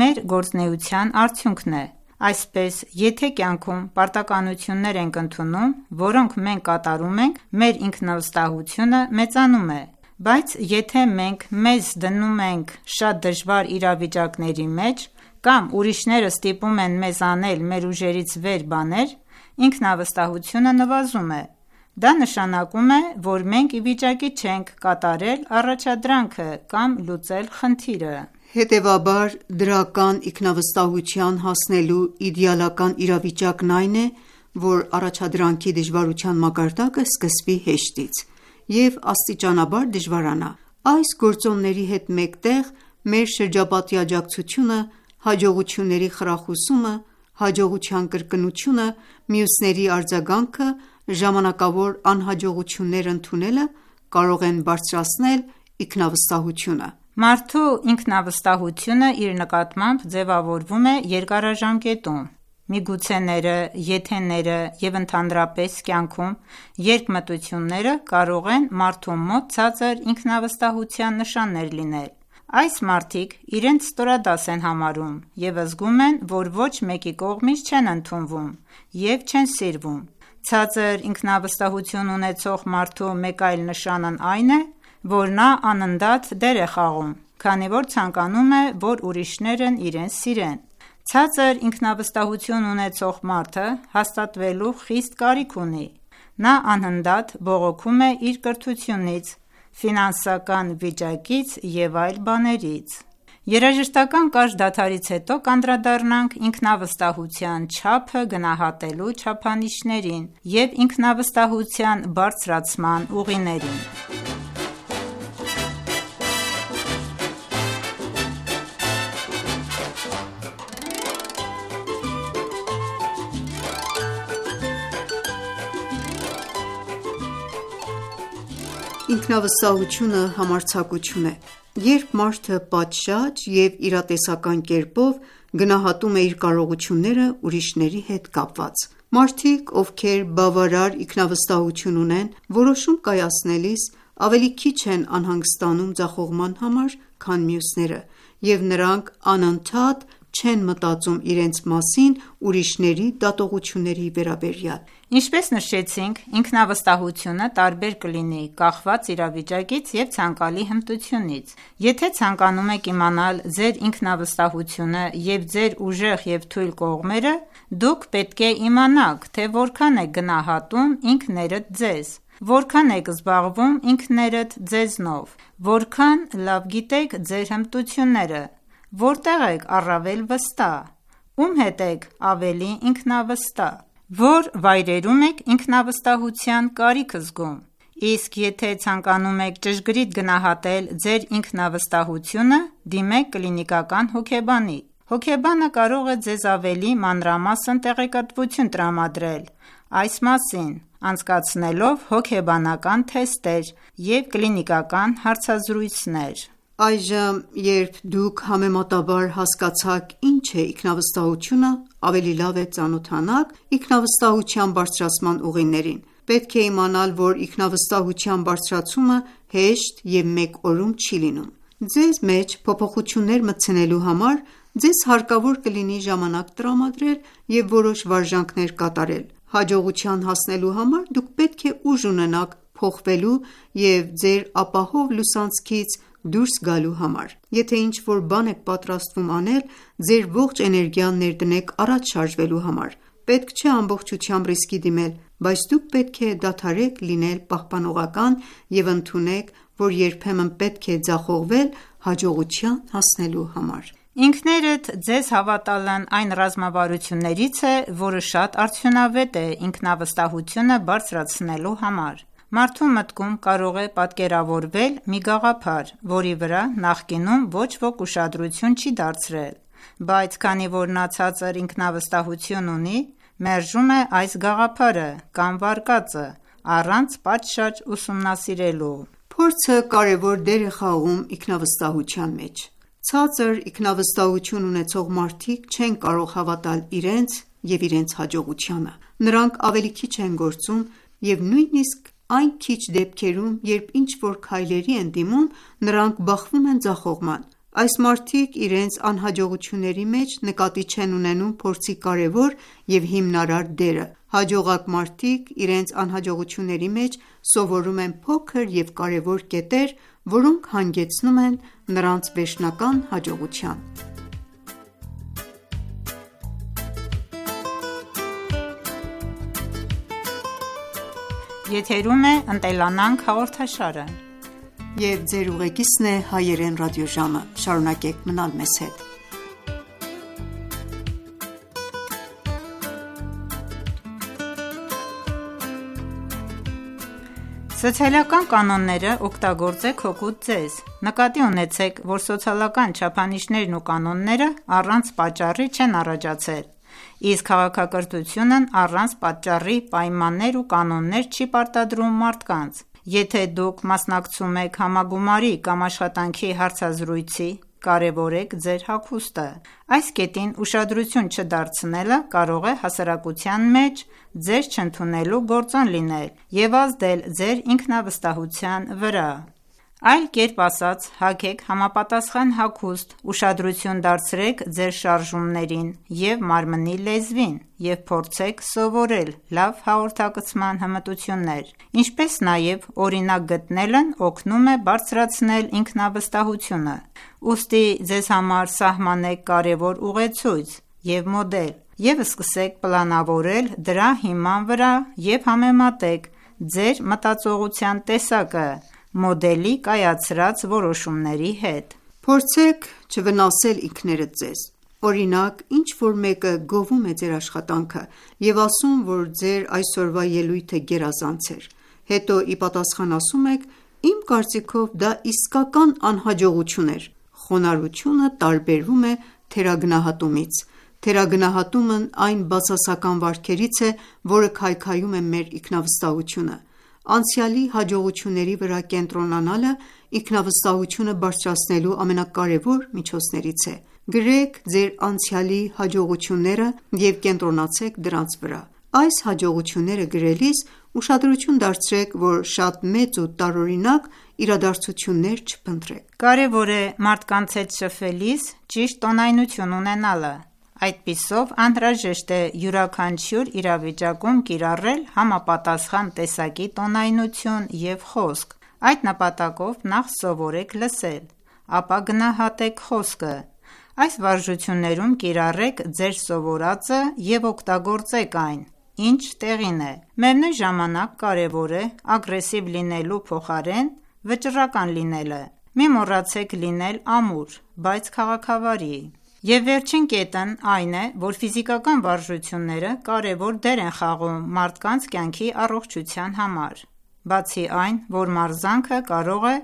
մեր գործունեության արդյունքն է: Այսպես, եթե կյանքում պարտականություններ ենք ընդունում, որոնք մենք կատարում ենք, մեր ինքնավստահությունը մեծանում է: Բայց եթե մենք մեզ դնում ենք շատ դժվար իրավիճակների մեջ, կամ ուրիշները ստիպում են մեզ անել մեր ուժերից վեր բաներ, ինքնավստահությունը նվազում է: Դա նշանակում է, որ մենք ի վիճակի չենք կատարել առաջադրանքը կամ լուծել խնդիրը: Հետևաբար, դրական ինքնավստահության հասնելու իդեալական իրավիճակն այն է, որ առաջադրանքի դժվարության մակարդակը սկսվի հեշտից և աստիճանաբար դժվարանա: Այս գործոնների հետ մեկտեղ, մեր շրջապատի աջակցությունը, հաջողությունների խրախուսումը, հաջողության կրկնությունը, մյուսների արձագանքը, ժամանակավոր անհաջողություններ ընդունելը կարող են բարձրացնել ինքնավստահությունը: Մարդու ինքնավստահությունը իր նկատմամբ ձևավորվում է երկարաժամկետում: Միգուցեները, եթեները և ընդհանրապես կյանքում երկմտությունները կարող են մարդու մոտ ցածր ինքնավստահության նշաններ լինել: Այս մարդիկ իրենց ստորադաս են համարում և զգում են, որ ոչ մեկի կողմից չեն ընդունվում և չեն սիրվում: Ցածր ինքնավստահություն ունեցող մարդու մեկ այլ նշանն այն է, որ նա անընդհատ դեր է խաղում, քանի որ ցանկանում է, որ ուրիշներն իրեն սիրեն: Ցածր ինքնավստահություն ունեցող մարդը հաստատվելու խիստ կարիք ունի: Նա անընդհատ բողոքում է իր կրթությունից, ֆինանսական վիճակից և այլ բաներից: Երաժշտական կարճ դադարից հետո կանդրադառնանք ինքնավստահության չափը գնահատելու չափանիշներին և ինքնավստահության բարձրացման ուղիներին: Ինքնավստահությունը համարձակություն է: Երբ մարդը պատշաճ և իրատեսական կերպով գնահատում է իր կարողությունները ուրիշների հետ կապված: Մարդիկ, ովքեր բավարար ինքնավստահություն ունեն, որոշում կայացնելիս ավելի քիչ են անհանգստանում ձախողման համար, քան մյուսները և նրանք անընդհատ չեն մտածում իրենց մասին ուրիշների դատողությունների վերաբերյալ: Ինչպես նշեցինք, ինքնավստահությունը տարբեր կլինի կախված իրավիճակից և ցանկալի հմտությունից: Եթե ցանկանում եք իմանալ ձեր ինքնավստահությունը և ձեր ուժեղ և թույլ կողմերը, դուք պետք է իմանաք, թե որքան եք գնահատում ինքներդ ձեզ, որքան եք զբաղվում ինքներդ ձեզնով, որքան լավ գիտեք ձեր հմտությունները, որտեղ եք առավել վստահ, ում հետ եք ավելի ինքնավստահ, որ վայրերում եք ինքնավստահության կարիք զգում: Իսկ եթե ցանկանում եք ճշգրիտ գնահատել ձեր ինքնավստահությունը, դիմեք կլինիկական հոգեբանի: Հոգեբանը կարող է ձեզ ավելի մանրամասն տեղեկատվություն տրամադրել այս մասին, անցկացնելով հոգեբանական թեստեր և կլինիկական հարցազրույցներ: Այժմ, երբ դուք համեմատաբար հասկացաք ինչ է ինքնավստահությունը, ավելի լավ է ծանոթանաք ինքնավստահության բարձրացման ուղիներին: Պետք է իմանալ, որ ինքնավստահության բարձրացումը հեշտ և մեկ օրում չի լինում: Ձեզ մեջ փոփոխություններ մտցնելու համար ձեզ հարկավոր կլինի ժամանակ տրամադրել և որոշ վարժանքներ կատարել: Հաջողության հասնելու համար դուք պետք է ուժ ունենաք փոխվելու և ձեր ապահով լուսանցքից դուրս գալու համար: Եթե ինչ-որ բան եք պատրաստվում անել, ձեր ողջ էներգիան ներդնեք առաջ շարժվելու համար: Պետք չէ ամբողջությամբ ռիսկի դիմել, բայց դուք պետք է դադարեք լինել պահպանողական և ընդունեք, որ երբեմն պետք է ձախողվել հաջողության հասնելու համար: Ինքներդ ձեզ հավատալն այն ռազմավարություններից է, որը շատ արդյունավետ է ինքնավստահությունը բարձրացնելու համար: Մարդու մտքում կարող է պատկերավորվել մի գաղափար, որի վրա նախկինում ոչ ոք ուշադրություն չի դարձրել, բայց քանի որ նա ցածր ինքնավստահություն ունի, մերժում է այս գաղափարը կամ վարկածը, առանց պատշաճ ուսումնասիրելու: Փորձը կարևոր դեր է խաղում ինքնավստահության մեջ: Ցածր ինքնավստահություն ունեցող մարդիկ չեն կարող հավատալ իրենց և իրենց հաջողությանը: Նրանք ավելի քիչ են գործում և նույնիսկ այն քիչ դեպքերում, երբ ինչ-որ քայլերի են դիմում, նրանք բախվում են ձախողման: Այս մարդիկ իրենց անհաջողությունների մեջ նկատի չեն ունենում փորձի կարևոր և հիմնարար դերը: Հաջողակ մարդիկ իրենց անհաջողությունների մեջ սովորում են փոքր և կարևոր կետեր, որոնք հանգեցնում են նրանց վերջնական հաջողության: Սոցիալական կանոնները օգտագործեք հօգուտ ձեզ: Նկատի ունեցեք, որ սոցիալական չափանիշներն ու կանոնները առանց պատճառի չեն առաջացել, իսկ քաղաքակրթությունն առանց պատճառի պայմաններ ու կանոններ չի պարտադրում մարդկանց: Եթե դուք մասնակցում եք համագումարի կամ աշխատանքի հարցազրույցի, կարևորեք ձեր հագուստը: Այս կետին ուշադրություն չդարձնելը կարող է հասարակության մեջ ձեզ չընդունելու գործոն լինել և ազդել ձեր ինքնավստահության վրա: Այլ կերպ ասած, հագեք համապատասխան հագուստ, ուշադրություն դարձրեք ձեր շարժումներին և մարմնի լեզվին և փորձեք սովորել լավ հաղորդակցման հմտություններ: Ինչպես նաև օրինակ գտնելն օգնում է բարձրացնել ինքնավստահությունը: Ուստի ձեզ համար սահմանեք կարևոր ուղեցույց և մոդել և սկսեք պլանավորել դրա հիման վրա և համեմատեք ձեր մտածողության տեսակը մոդելի կայացրած որոշումների հետ: Փորձեք չվնասել ինքներդ ձեզ: Օրինակ, ինչ-որ մեկը գովում է ձեր աշխատանքը և ասում, որ ձեր այսօրվա ելույթը գերազանց էր: Հետո ի պատասխան ասում եք. «Իմ կարծիքով դա իսկական անհաջողություն էր»: Խոնարհությունը տարբերվում է թերագնահատումից: Թերագնահատումն այն բացասական վարքերից է, որը քայքայում է մեր ինքնավստահությունը: Անցյալի հաջողությունների վրա կենտրոնանալը ինքնավստահությունը բարձրացնելու ամենակարևոր միջոցներից է: Գրեք ձեր անցյալի հաջողությունները և կենտրոնացեք դրանց վրա: Այս հաջողությունները գրելիս ուշադրություն դարձրեք, որ շատ մեծ ու տարօրինակ իրադարձություններ չփնտրեք: Կարևոր է մարդկանց հետ շփվելիս ճիշտ տոնայնություն ունենալը: Այդպիսով անհրաժեշտ է յուրաքանչյուր իրավիճակում կիրառել համապատասխան տեսակի տոնայնություն և խոսք: Այդ նպատակով նախ սովորեք լսել, ապա գնահատեք խոսքը: Այս վարժություններում կիրառեք ձեր սովորածը և օգտագործեք այն, ինչ տեղին է: Միևնույն ժամանակ կարևոր է ագրեսիվ լինելու փոխարեն վճռական լինելը: Մի մոռացեք լինել ամուր, բայց քաղաքավարի: Եվ վերջին կետն այն է, որ ֆիզիկական վարժությունները կարևոր դեր են խաղում մարդկանց կյանքի առողջության համար: Բացի այն, որ մարզանքը կարող է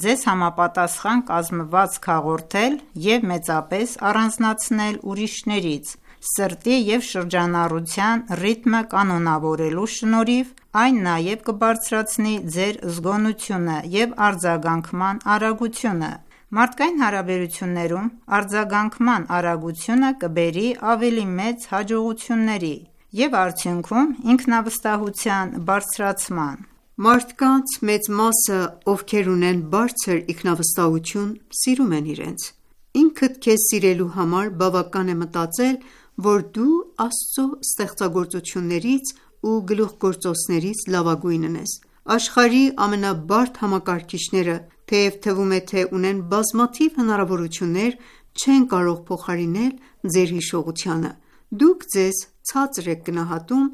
ձեզ համապատասխան կազմվածք հաղորդել և մեծապես առանձնացնել ուրիշներից, սրտի և շրջանառության ռիթմը կանոնավորելու շնորհիվ այն նաև կբարձրացնի ձեր զգոնությունը և արձագանքման արագությունը: Մարդկային հարաբերություններում արձագանքման արագությունը կբերի ավելի մեծ հաջողությունների և արդյունքում ինքնավստահության բարձրացման: Մարդկանց մեծ մասը, ովքեր ունեն բարձր ինքնավստահություն, սիրում են իրենց: Ինքդ քեզ սիրելու համար բավական է մտածել, որ դու Աստծո ստեղծագործություններից ու գլուխգործոցներից լավագույնն ես: Աշխարհի ամենաբարդ համակարգիչները, թեև թվում է, թե ունեն բազմաթիվ հնարավորություններ, չեն կարող փոխարինել ձեր հիշողությանը: Դուք ձեզ ցածր եք գնահատում,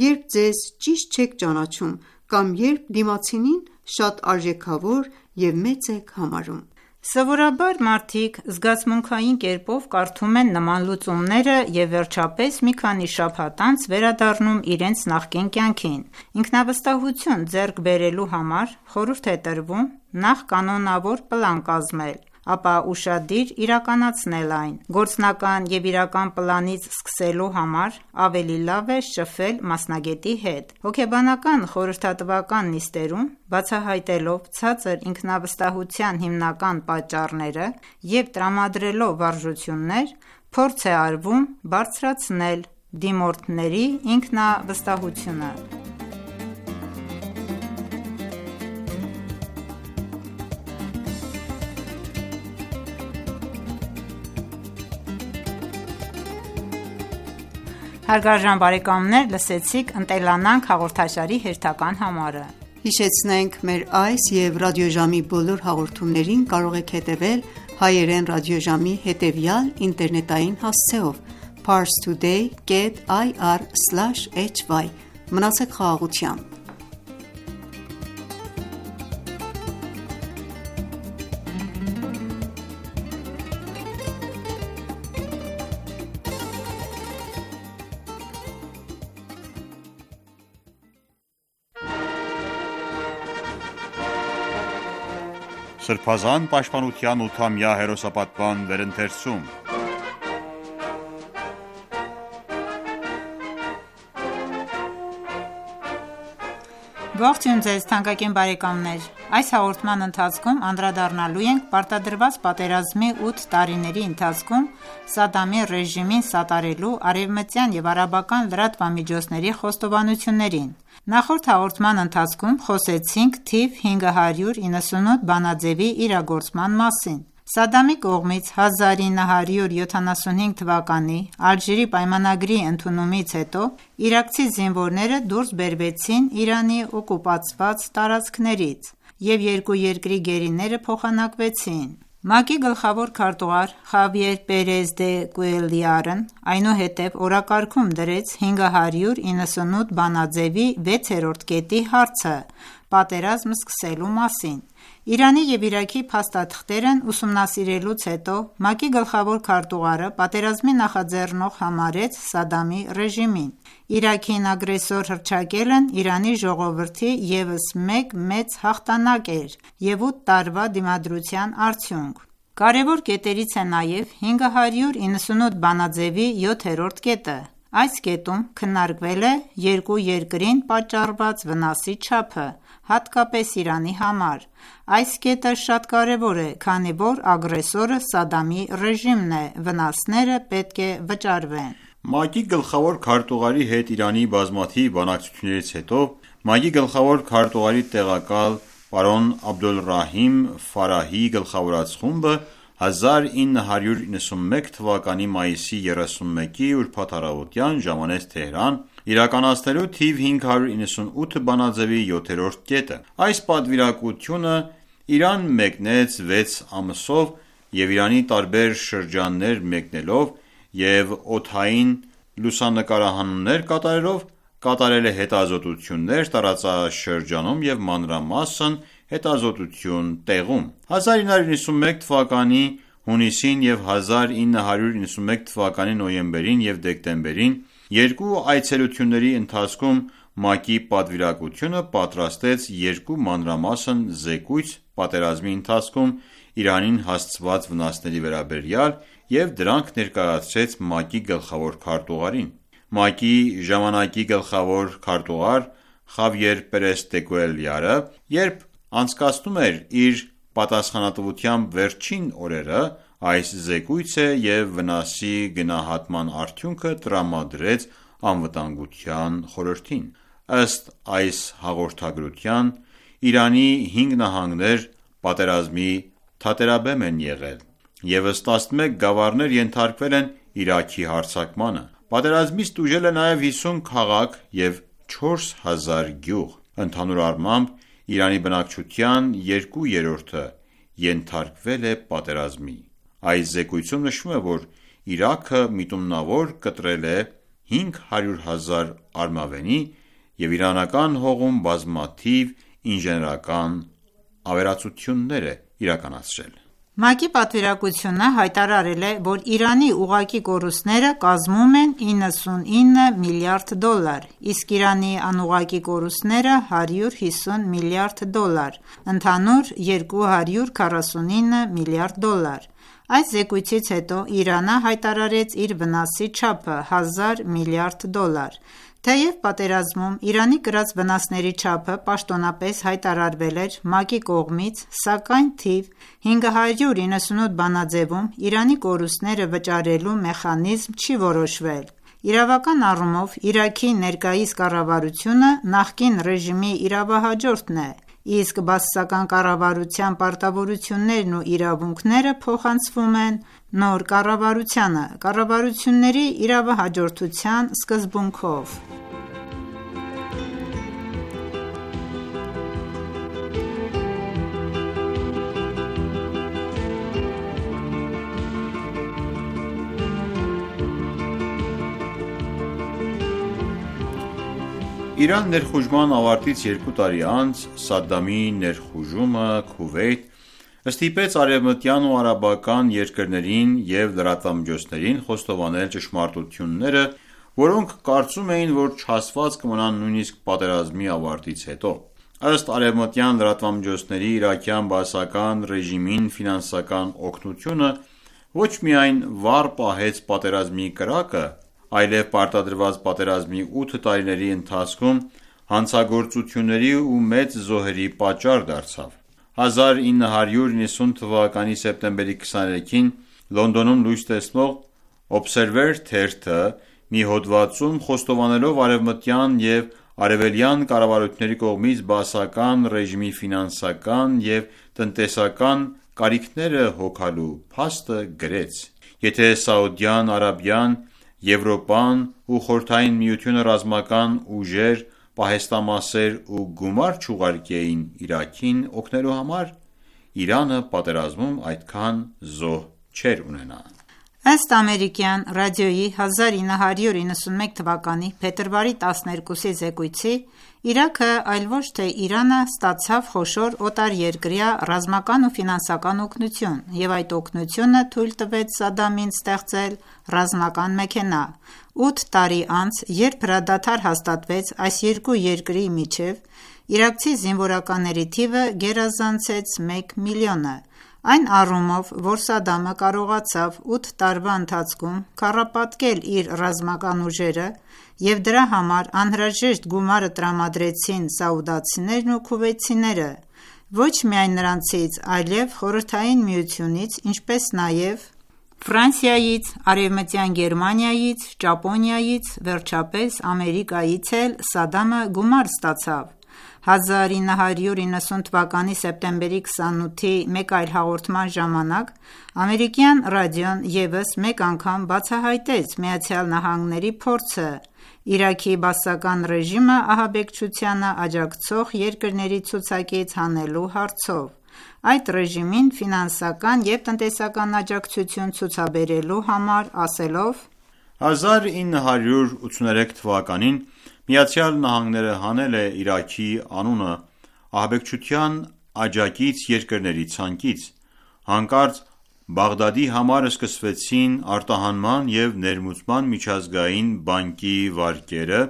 երբ ձեզ ճիշտ չեք ճանաչում կամ երբ դիմացինին շատ արժեքավոր և մեծ եք համարում: Սովորաբար մարդիկ զգացմունքային կերպով կարդում են նման լուծումները և վերջապես մի քանի շաբաթ անց վերադառնում իրենց նախկին կյանքին: Ինքնավստահություն ձեռք բերելու համար խորհուրդ է տրվում նախ կանոնավոր պլան կազմել, ապա ուշադիր իրականացնել այն: Գործնական և իրական պլանից սկսելու համար ավելի լավ է շփվել մասնագետի հետ: Հոգեբանական խորհրդատվական նիստերում բացահայտելով ցածր ինքնավստահության հիմնական պատճառները և տրամադրելով վարժություններ, փորձ է արվում բարձրացնել դիմորդների ինքնավստահությունը: Հարգարժան բարեկամներ, լսեցիք «Ընտելանանք» հաղորդաշարի հերթական համարը։ Հիշեցնենք մեր այս եւ ռադիոժամի բոլոր հաղորդումներին կարող եք հետևել հայերեն ռադիոժամի հետևյալ ինտերնետային հասցեով՝ parstoday dot ir slash hy։ Մնացեք խաղաղությամբ։ Սրբազան պաշտպանության ութամյա հերոսապատման վերընթերցում։ Ողջույն ձեզ թանկագին բարեկամներ: Այս հաղորդման ընթացքում անդրադառնալու ենք պարտադրված պատերազմի ութ տարիների ընթացքում Սադամի ռեժիմին սատարելու արևմտյան և արաբական լրատվամիջոցների խոստովանություններին: Նախորդ հաղորդման ընթացքում խոսեցինք թիվ հինգ հարյուր իննսունութ բանաձեւի իրագործման մասին: Սադամի կողմից հազար ինը հարյուր յոթանասունհինգ թվականի Ալժիրի պայմանագրի ընդունումից հետո իրաքցի զինվորները դուրս բերվեցին Իրանի օկուպացված տարածքներից և երկու երկրի գերիները փոխանակվեցին: ՄԱԿ-ի գլխավոր քարտուղար Խավիեր Պերեզ դե Կուելյարն այնուհետև օրակարգում դրեց հինգ հարյուր իննսունութ բանաձեւի վեցերորդ կետի հարցը՝ պատերազմ սկսելու մասին: Իրանի և Իրաքի փաստաթղթերն ուսումնասիրելուց հետո ՄԱԿ-ի գլխավոր քարտուղարը պատերազմի նախաձեռնող համարեց Սադամի ռեժիմին: Իրաքին ագրեսոր հռչակելն Իրանի ժողովրդի ևս մեկ մեծ հաղթանակ էր և ութ տարվա դիմադրության արդյունք: Կարևոր կետերից է նաև հինգ հարյուր իննսունութ բանաձեւի յոթերորդ կետը: Այս կետում քննարկվել է երկու երկրին պատճառված վնասի չափը, հատկապես Իրանի համար: Այս կետը շատ կարևոր է, քանի որ ագրեսորը Սադամի ռեժիմն է, վնասները պետք է վճարվեն: ՄԱԿ-ի գլխավոր քարտուղարի հետ Իրանի բազմաթիվ բանակցություններից հետո ՄԱԿ-ի գլխավոր քարտուղարի տեղակալ պարոն Աբդոլռահիմ Ֆարահիի գլխավորած խումբը հազար ինը հարյուր իննսունմեկ թվականի մայիսի երեսունմեկի ուրբաթ առավոտյան ժամանեց Թեհրան՝ իրականացնելու թիվ հինգ հարյուր իննսունութ բանաձեւի յոթերորդ կետը: Այս պատվիրակությունը Իրան մեկնեց վեց ամսով և Իրանի տարբեր շրջաններ մեկնելով և օդային լուսանկարահանումներ կատարելով կատարել է հետազոտություններ տարածաշրջանում և մանրամասն հետազոտություն տեղում: հազար ինը հարյուր իննսունմեկ թվականի հունիսին և հազար ինը հարյուր իննսունմեկ թվականի նոյեմբերին և դեկտեմբերին երկու այցելությունների ընթացքում ՄԱԿ-ի պատվիրակությունը պատրաստեց երկու մանրամասն զեկույց պատերազմի ընթացքում Իրանին հասցված վնասների վերաբերյալ և դրանք ներկայացրեց ՄԱԿ-ի գլխավոր քարտուղարին: ՄԱԿ-ի ժամանակի գլխավոր քարտուղար Խավիեր Պերես դե Կուելյարը, երբ անցկացնում էր իր պատասխանատվության վերջին օրերը, այս զեկույցը և վնասի գնահատման արդյունքը տրամադրեց Անվտանգության խորհրդին: Ըստ այս հաղորդագրության Իրանի հինգ նահանգներ պատերազմի թատերաբեմ են եղել և ըստ տասնմեկ գավառներ ենթարկվել են Իրաքի հարձակմանը: Պատերազմից տուժել է նաև հիսուն քաղաք և չորս հազար գյուղ: Ընդհանուր առմամբ Իրանի բնակչության երկու երրորդը ենթարկվել է պատերազմի: Այս զեկույցում նշվում է, որ Իրաքը միտումնավոր կտրել է հինգ հարյուր հազար արմավենի և իրանական հողում բազմաթիվ ինժեներական ավերածություններ է իրականացրել: ՄԱԿ-ի պատվիրակությունը հայտարարել է, որ Իրանի ուղղակի կորուստները կազմում են իննսունինը միլիարդ դոլար, իսկ Իրանի անուղղակի կորուստները հարյուր հիսուն միլիարդ դոլար, ընդհանուր երկու հարյուր քառասունինը միլիարդ դոլար: Այս զեկույցից հետո Իրանը հայտարարեց իր վնասի չափը՝ հազար միլիարդ դոլար: Թեև պատերազմում Իրանի կրած վնասների չափը պաշտոնապես հայտարարվել էր ՄԱԿ-ի կողմից, սակայն թիվ հինգ հարյուր իննսունութ բանաձեւում Իրանի կորուստները վճարելու մեխանիզմ չի որոշվել: Իրավական առումով Իրաքի ներկայիս կառավարությունը նախկին ռեժիմի իրավահաջորդն է իսկ բաասական կառավարության պարտավորություններն ու իրավունքները փոխանցվում են նոր կառավարությանը՝ կառավարությունների իրավահաջորդության սկզբունքով։ Իրան ներխուժման ավարտից երկու տարի անց Սադդամի ներխուժումը Քուվեյթ ստիպեց արևմտյան ու արաբական երկրներին և լրատվամիջոցներին խոստովանել ճշմարտությունները, որոնք կարծում էին, որ չհասված կմնան նույնիսկ պատերազմի ավարտից հետո։ Ըստ արևմտյան լրատվամիջոցների, իրաքյան բաասական ռեժիմին ֆինանսական օգնությունը ոչ միայն վառ պահեց պատերազմի կրակը, այլև պարտադրված պատերազմի ութ տարիների ընթացքում հանցագործությունների ու մեծ զոհերի պատճառ դարձավ։ հազար ինը հարյուր նվաթ թվականի սեպտեմբերի քսաներեքին Լոնդոնում լույս տեսնող Observer թերթը մի հոդվածում, խոստովանելով արևմտյան և արևելյան կառավարությունների կողմից բաասական ռեժիմի ֆինանսական և տնտեսական կարիքները հոգալու փաստը, գրեց. «Եթե Սաուդյան Արաբիան, Եվրոպան ու Խորհրդային Միությունը ռազմական ուժեր, պահեստամասեր ու գումար չուղարկեին Իրաքին օգնելու համար, Իրանը պատերազմում այդքան զոհ չէր ունենա»։ Ըստ ամերիկյան ռադիոյի հազար ինը հարյուր իննսունմեկ թվականի փետրվարի տասներկուսի զեկույցի, Իրաքը, այլ ոչ թե Իրանը, ստացավ խոշոր օտարերկրյա ռազմական ու ֆինանսական օգնություն, և այդ օգնությունը թույլ տվեց Սադամին ստեղծել ռազմական մեքենա։ Ութ տարի անց, երբ հրադադար հաստատվեց այս երկու երկրի միջև, իրաքցի զինվորականների թիվը գերազանցեց մեկ միլիոնը, այն առումով, որ Սադամը կարողացավ ութ տարվա ընթացքում քառապատկել իր ռազմական ուժերը, և դրա համար անհրաժեշտ գումարը տրամադրեցին սաուդացիներն ու քուվեյթցիները, ոչ միայն նրանցից, այլև Խորհրդային Միությունից, ինչպես նաև Ֆրանսիայից, Արևմտյան Գերմանիայից, Ճապոնիայից, վերջապես Ամերիկայից էլ Սադամը գումար ստացավ։ հազար ինը հարյուր իննսուն թվականի սեպտեմբերի քսանութի մեկ այլ հաղորդման ժամանակ ամերիկյան ռադիոն ևս մեկ անգամ բացահայտեց ԱՄՆ-ի փորձը Իրաքի բաասական ռեժիմը ահաբեկչությանը աջակցող երկրների ցուցակից հանելու հարցով, այդ ռեժիմին ֆինանսական և տնտեսական աջակցություն ցուցաբերելու համար, ասելով. հազար ինը հարյուր ութսուներեք թվականին ԱՄՆ-ը հանել է Իրաքի անունը ահաբեկչության աջակից երկրների ցանկից։ Հանկարծ Բաղդադի համար սկսվեցին արտահանման և ներմուծման միջազգային բանկի վարկերը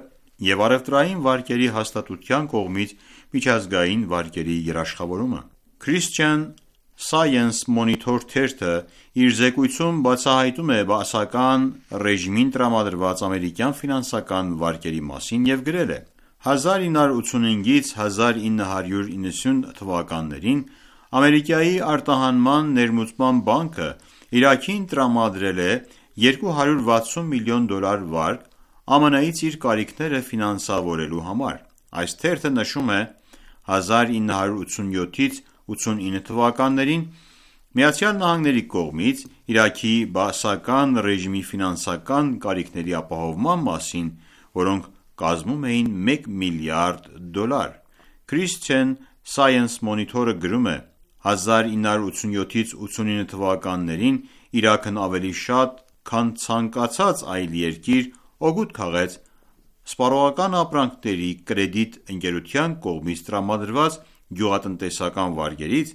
և առևտրային վարկերի հաստատության կողմից միջազգային վարկերի երաշխավորումը։ Christian Science Monitor թերթը իր զեկույցում բացահայտում է բաասական ռեժիմին տրամադրված ամերիկյան ֆինանսական վարկերի մասին և գրել է. հազար ինը հարյուր ութսունհինգից հազար ինը հարյուր իննսուն թվականներին Ամերիկայի արտահանման ներմուծման բանկը Իրաքին տրամադրել է երկու հարյուր վաթսուն միլիոն դոլար վարկ ԱՄՆ-ից իր կարիքները ֆինանսավորելու համար։ Այս թերթը նշում է. հազար ինը հարյուր ութսունյոթից ութսունինը թվականներին ԱՄՆ-ի կողմից Իրաքի բաասական ռեժիմի ֆինանսական կարիքների ապահովման մասին, որոնք կազմում էին մեկ միլիարդ դոլար։ Christian Science Monitor-ը գրում է. հազար ինը հարյուր ութսունյոթից ութսունինը թվականներին Իրաքն ավելի շատ, քան ցանկացած այլ երկիր, օգուտ քաղեց սպառողական ապրանքների կրեդիտ ընկերության կողմից տրամադրված գյուղատնտեսական վարկերից,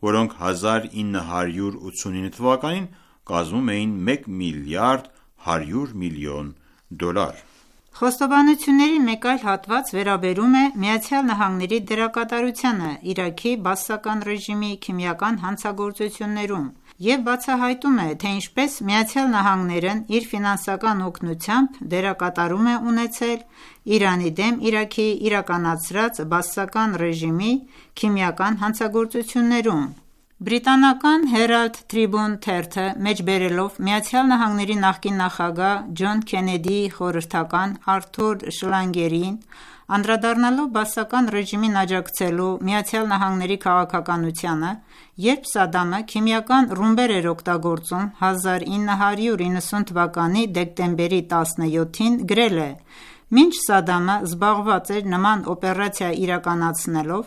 որոնք հազար ինը հարյուր ութսունինը թվականին կազմում էին մեկ միլիարդ հարյուր միլիոն դոլար։ Խոստովանությունների մեկ այլ հատված վերաբերում է ԱՄՆ-ի դերակատարությանը Իրաքի բաասական ռեժիմի քիմիական հանցագործություններում և բացահայտում է, թե ինչպես ԱՄՆ-ն իր ֆինանսական օգնությամբ դերակատարում է ունեցել Իրանի դեմ Իրաքի իրականացրած բաասական ռեժիմի քիմիական հանցագործություններում։ Բրիտանական Herald Tribune թերթը մեջբերելով ԱՄՆ-ի նախկին նախագահ Ջոն Քենեդիի խորհրդական Արթուր Շլանգերին, Անդրադառնալով բաասական ռեժիմին աջակցելու ԱՄՆ-ի քաղաքականությանը, երբ Սադամը քիմիական ռումբեր էր օգտագործում, հազար ինը հարյուր իննսուն թվականի դեկտեմբերի տասնյոթին գրել է. «Մինչ Սադամը զբաղված էր նման օպերացիա իրականացնելով,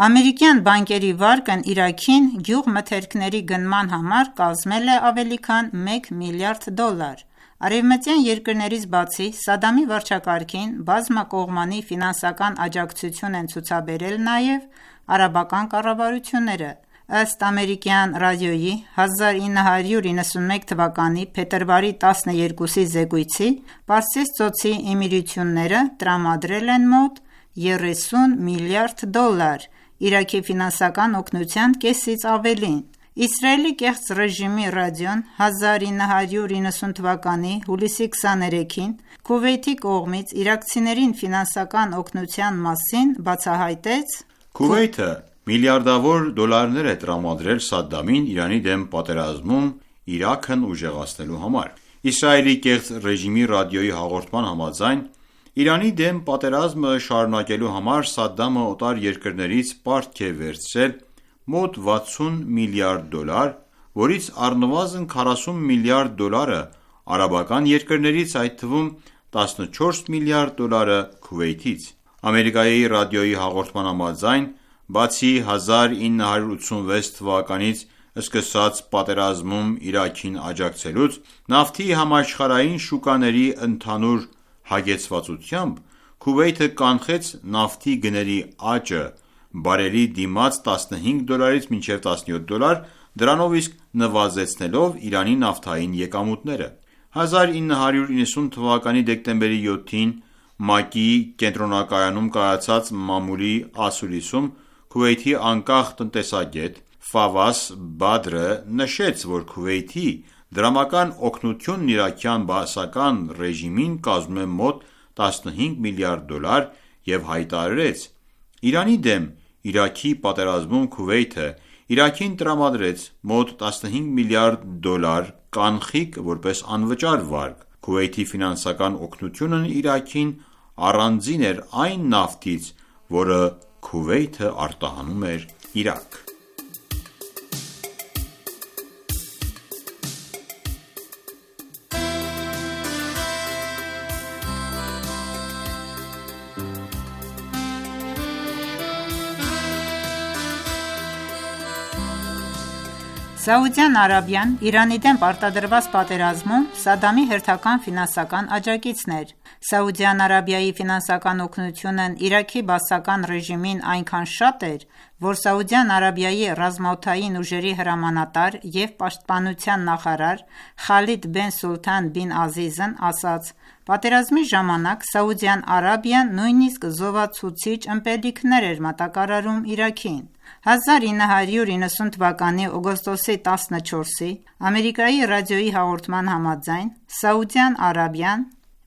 ամերիկյան բանկերի վարկն Իրաքին գյուղմթերքների գնման համար կազմել է ավելի քան մեկ միլիարդ դոլար»։ Արևմտյան երկրներից բացի, Սադամի վարչակարգին բազմակողմանի ֆինանսական աջակցություն են ցուցաբերել նաև արաբական կառավարությունները։ Ըստ ամերիկյան ռադիոյի հազար ինը հարյուր իննսունմեկ թվականի փետրվարի տասներկուսի զեկույցի, Պարսից ծոցի էմիրությունները տրամադրել են մոտ երեսուն միլիարդ դոլար Իրաքի ֆինանսական օգնության կեսից ավելին։ Իսրայելի կեղծ ռեժիմի ռադիոն հազար ինը հարյուր իննսուն թվականի հուլիսի քսաներեքին Քուվեյթի կողմից իրաքցիներին ֆինանսական օգնության մասին բացահայտեց. Քուվեյթը միլիարդավոր դոլարներ է տրամադրել Սադդամին Իրանի դեմ պատերազմում Իրաքն ուժեղացնելու համար։ Իսրայելի կեղծ ռեժիմի ռադիոյի հաղորդման համաձայն, Իրանի դեմ պատերազմը շարունակելու համար Սադդամը օտար երկրներից պարտք է վերցրել մոտ վաթսուն միլիարդ դոլար, որից առնվազն քառասուն միլիարդ դոլարը արաբական երկրներից, այդ թվում տասնչորս միլիարդ դոլարը Քուվեյթից։ Ամերիկայի ռադիոյի հաղորդման համաձայն, բացի հազար ինը հարյուր ութսունվեց թվականից սկսած պատերազմում Իրաքին աջակցելուց, նավթի համաշխարհային շուկաների ընդհանուր հագեցվածությամբ, Քուվեյթը կանխեց նավթի գների աճը բարելի դիմաց տասնհինգ դոլարից մինչև տասնյոթ դոլար, դրանով իսկ նվազեցնելով Իրանի նավթային եկամուտները։ հազար ինը հարյուր իննսուն թվականի դեկտեմբերի յոթին ՄԱԿ-ի կենտրոնակայանում կայացած մամուլի ասուլիսում Քուվեյթի անկախ տնտեսագետ Ֆավաս Բադրը նշեց, որ Քուվեյթի դրամական օգնությունն իրաքյան բաասական ռեժիմին կազմում է մոտ տասնհինգ միլիարդ դոլար և հայտարարեց. «Իրանի դեմ Իրաքի պատերազմում Քուվեյթը Իրաքին տրամադրեց մոտ տասնհինգ միլիարդ դոլար կանխիկ որպես անվճար վարկ։ Քուվեյթի ֆինանսական օգնությունն Իրաքին առանձին էր այն նավթից, որը Քուվեյթը արտահանում էր Իրաք»։ Սաուդյան Արաբիան Իրանի դեմ պարտադրված պատերազմում Սադամի հերթական ֆինանսական աջակիցն էր։ Սաուդյան Արաբիայի ֆինանսական օգնությունն Իրաքի բաասական ռեժիմին այնքան շատ էր, որ Սաուդյան Արաբիայի ռազմաօդային ուժերի հրամանատար և պաշտպանության նախարար Խալիդ բեն Սուլթան բին Ազիզն ասաց. «Պատերազմի ժամանակ Սաուդյան Արաբիան նույնիսկ զովացուցիչ ըմպելիքներ էր մատակարարում Իրաքին»։ հազար ինը հարյուր իննսուն թվականի օգոստոսի տասնչորսի Ամերիկայի ռադիոյի հաղորդման համաձայն, Սաուդյան Արաբիան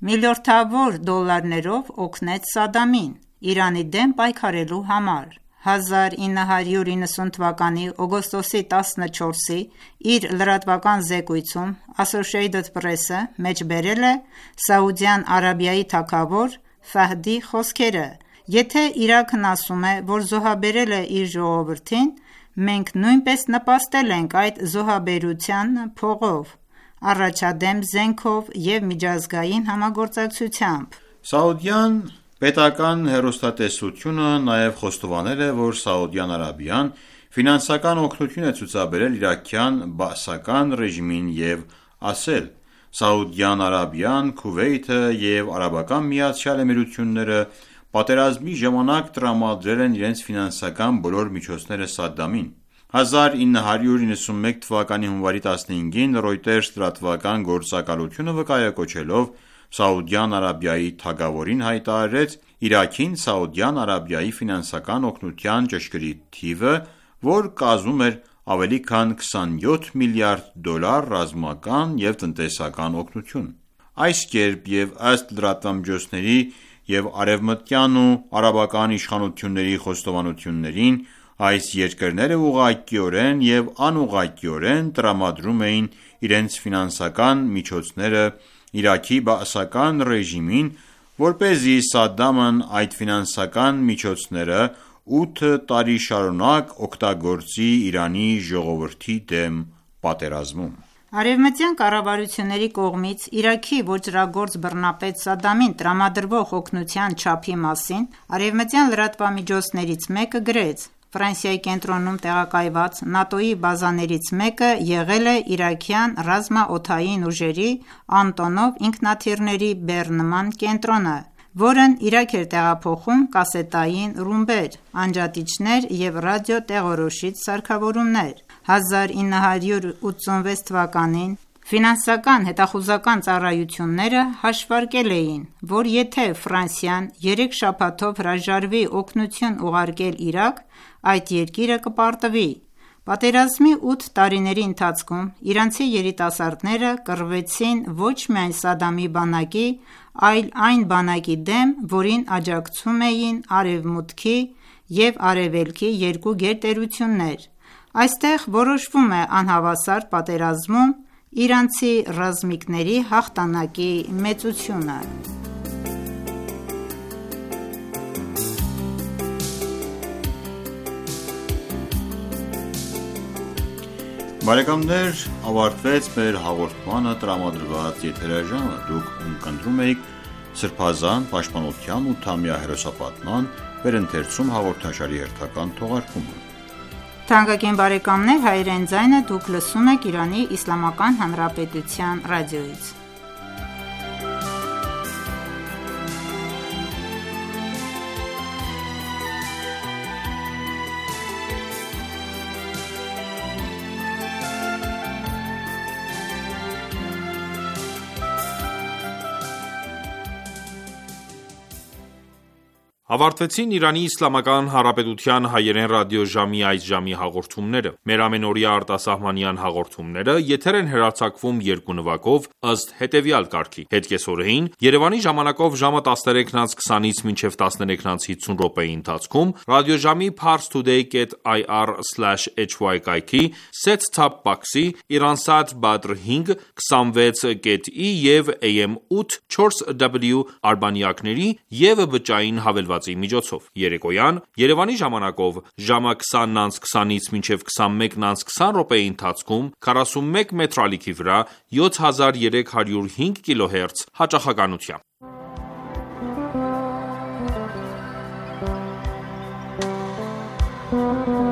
միլիորդավոր դոլարներով օգնեց Սադամին Իրանի դեմ պայքարելու համար։ հազար ինը հարյուր իննսուն թվականի օգոստոսի տասնչորսի իր լրատվական զեկույցում Associated Press-ը մեջբերել է Սաուդյան Արաբիայի թագավոր Ֆահդի խոսքերը. «Եթե Իրաքն ասում է, որ զոհաբերել է իր ժողովրդին, մենք նույնպես նպաստել ենք այդ զոհաբերության փողով, առաջադեմ զենքով և միջազգային համագործակցությամբ»։ Սաուդյան պետական հեռուստատեսությունը նաև խոստովանել է, որ Սաուդյան Արաբիան ֆինանսական օգնություն է ցուցաբերել իրաքյան բաասական ռեժիմին և ասել. «Սաուդյան Արաբիան, Քուվեյթը և Արաբական Միացյալ Էմիրությունները պատերազմի ժամանակ տրամադրել են իրենց ֆինանսական բոլոր միջոցները Սադդամին»։ հազար ինը հարյուր իննսունմեկ թվականի հունվարի տասնհինգին Reuters լրատվական գործակալությունը վկայակոչելով Սաուդյան Արաբիայի թագավորին հայտարարեց Իրաքին Սաուդյան Արաբիայի ֆինանսական օգնության ճշգրիտ թիվը, որ կազմում էր ավելի քան քսանյոթ միլիարդ դոլար ռազմական և տնտեսական օգնություն։ Այս կերպ և ըստ լրատվամիջոցների և արևմտյան ու արաբական իշխանությունների խոստովանություններին, այս երկրները ուղղակիորեն և անուղղակիորեն տրամադրում էին իրենց ֆինանսական միջոցները Իրաքի բաասական ռեժիմին որպեսզի Սադամն այդ ֆինանսական միջոցները ութ տարի շարունակ օգտագործի Իրանի ժողովրդի դեմ պատերազմում։ Արևմտյան կառավարությունների կողմից Իրաքի ոճրագործ բռնապետ Սադամին տրամադրվող օգնության չափի մասին արևմտյան լրատվամիջոցներից մեկը գրեց. Ֆրանսիայի կենտրոնում տեղակայված ՆԱՏՕ-ի բազաներից մեկը եղել է իրաքյան ռազմաօդային ուժերի Անտոնով ինքնաթիռների բեռնման կենտրոնը, որն Իրաք էր տեղափոխում կասետային ռումբեր, անջատիչներ և ռադիոտեղորոշիչ սարքավորումներ։ հազար ինը հարյուր ութսունվեց թվականին ֆինանսական հետախուզական ծառայությունները հաշվարկել էին, որ եթե Ֆրանսիան երեք շաբաթով հրաժարվի օգնություն ուղարկել Իրաք, այդ երկիրը կպարտվի։ Պատերազմի ութ տարիների ընթացքում իրանցի երիտասարդները կռվեցին ոչ միայն Սադամի բանակի, այլ այն բանակի դեմ, որին աջակցում էին Արևմուտքի և Արևելքի երկու գերտերություններ։ Այստեղ որոշվում է անհավասար պատերազմում իրանցի ռազմիկների հաղթանակի մեծությունը։ Բարեկամներ, ավարտվեց մեր հաղորդմանը տրամադրված եթերաժամը։ Դուք ընկնում եք Սրբազան պաշտպանության ութամյա հերոսապատման վերընթերցում հաղորդաշարի հերթական թողարկումը։ Թանկագին բարեկամներ, հայրեն ձայնը դուք լսում եք Իրանի Իսլամական Հանրապետության ռադիոյից։ Ավարտվեցին Իրանի Իսլամական Հանրապետության հայերեն ռադիոժամի այս ժամի հաղորդումները։ Մեր ամենօրյա արտասահմանյան հաղորդումները եթեր են հեռարձակվում երկու նվագով ըստ հետևյալ կարգի. Հետկեսօրեին Երևանի ժամանակով ժամը տասներեքն անց քսանից մինչև տասներեքն անց հիսուն րոպեի ընթացքում ռադիոժամի parstoday dot i r slash h y կայքի set-top box-ի Iransat Badr հինգ քսանվեց dot i և A M ութ չորս W արբանյակների և բջջային հավելվածի միջոցով։ Երեկոյան Երևանի ժամանակով ժամը քսանն անց քսանից մինչև քսանմեկն անց քսան րոպեի ընթացքում քառասունմեկ մետր ալիքի վրա յոթ հազար երեք հարյուր հինգ կիլոհերց հաճախականությամբ։ Thank you.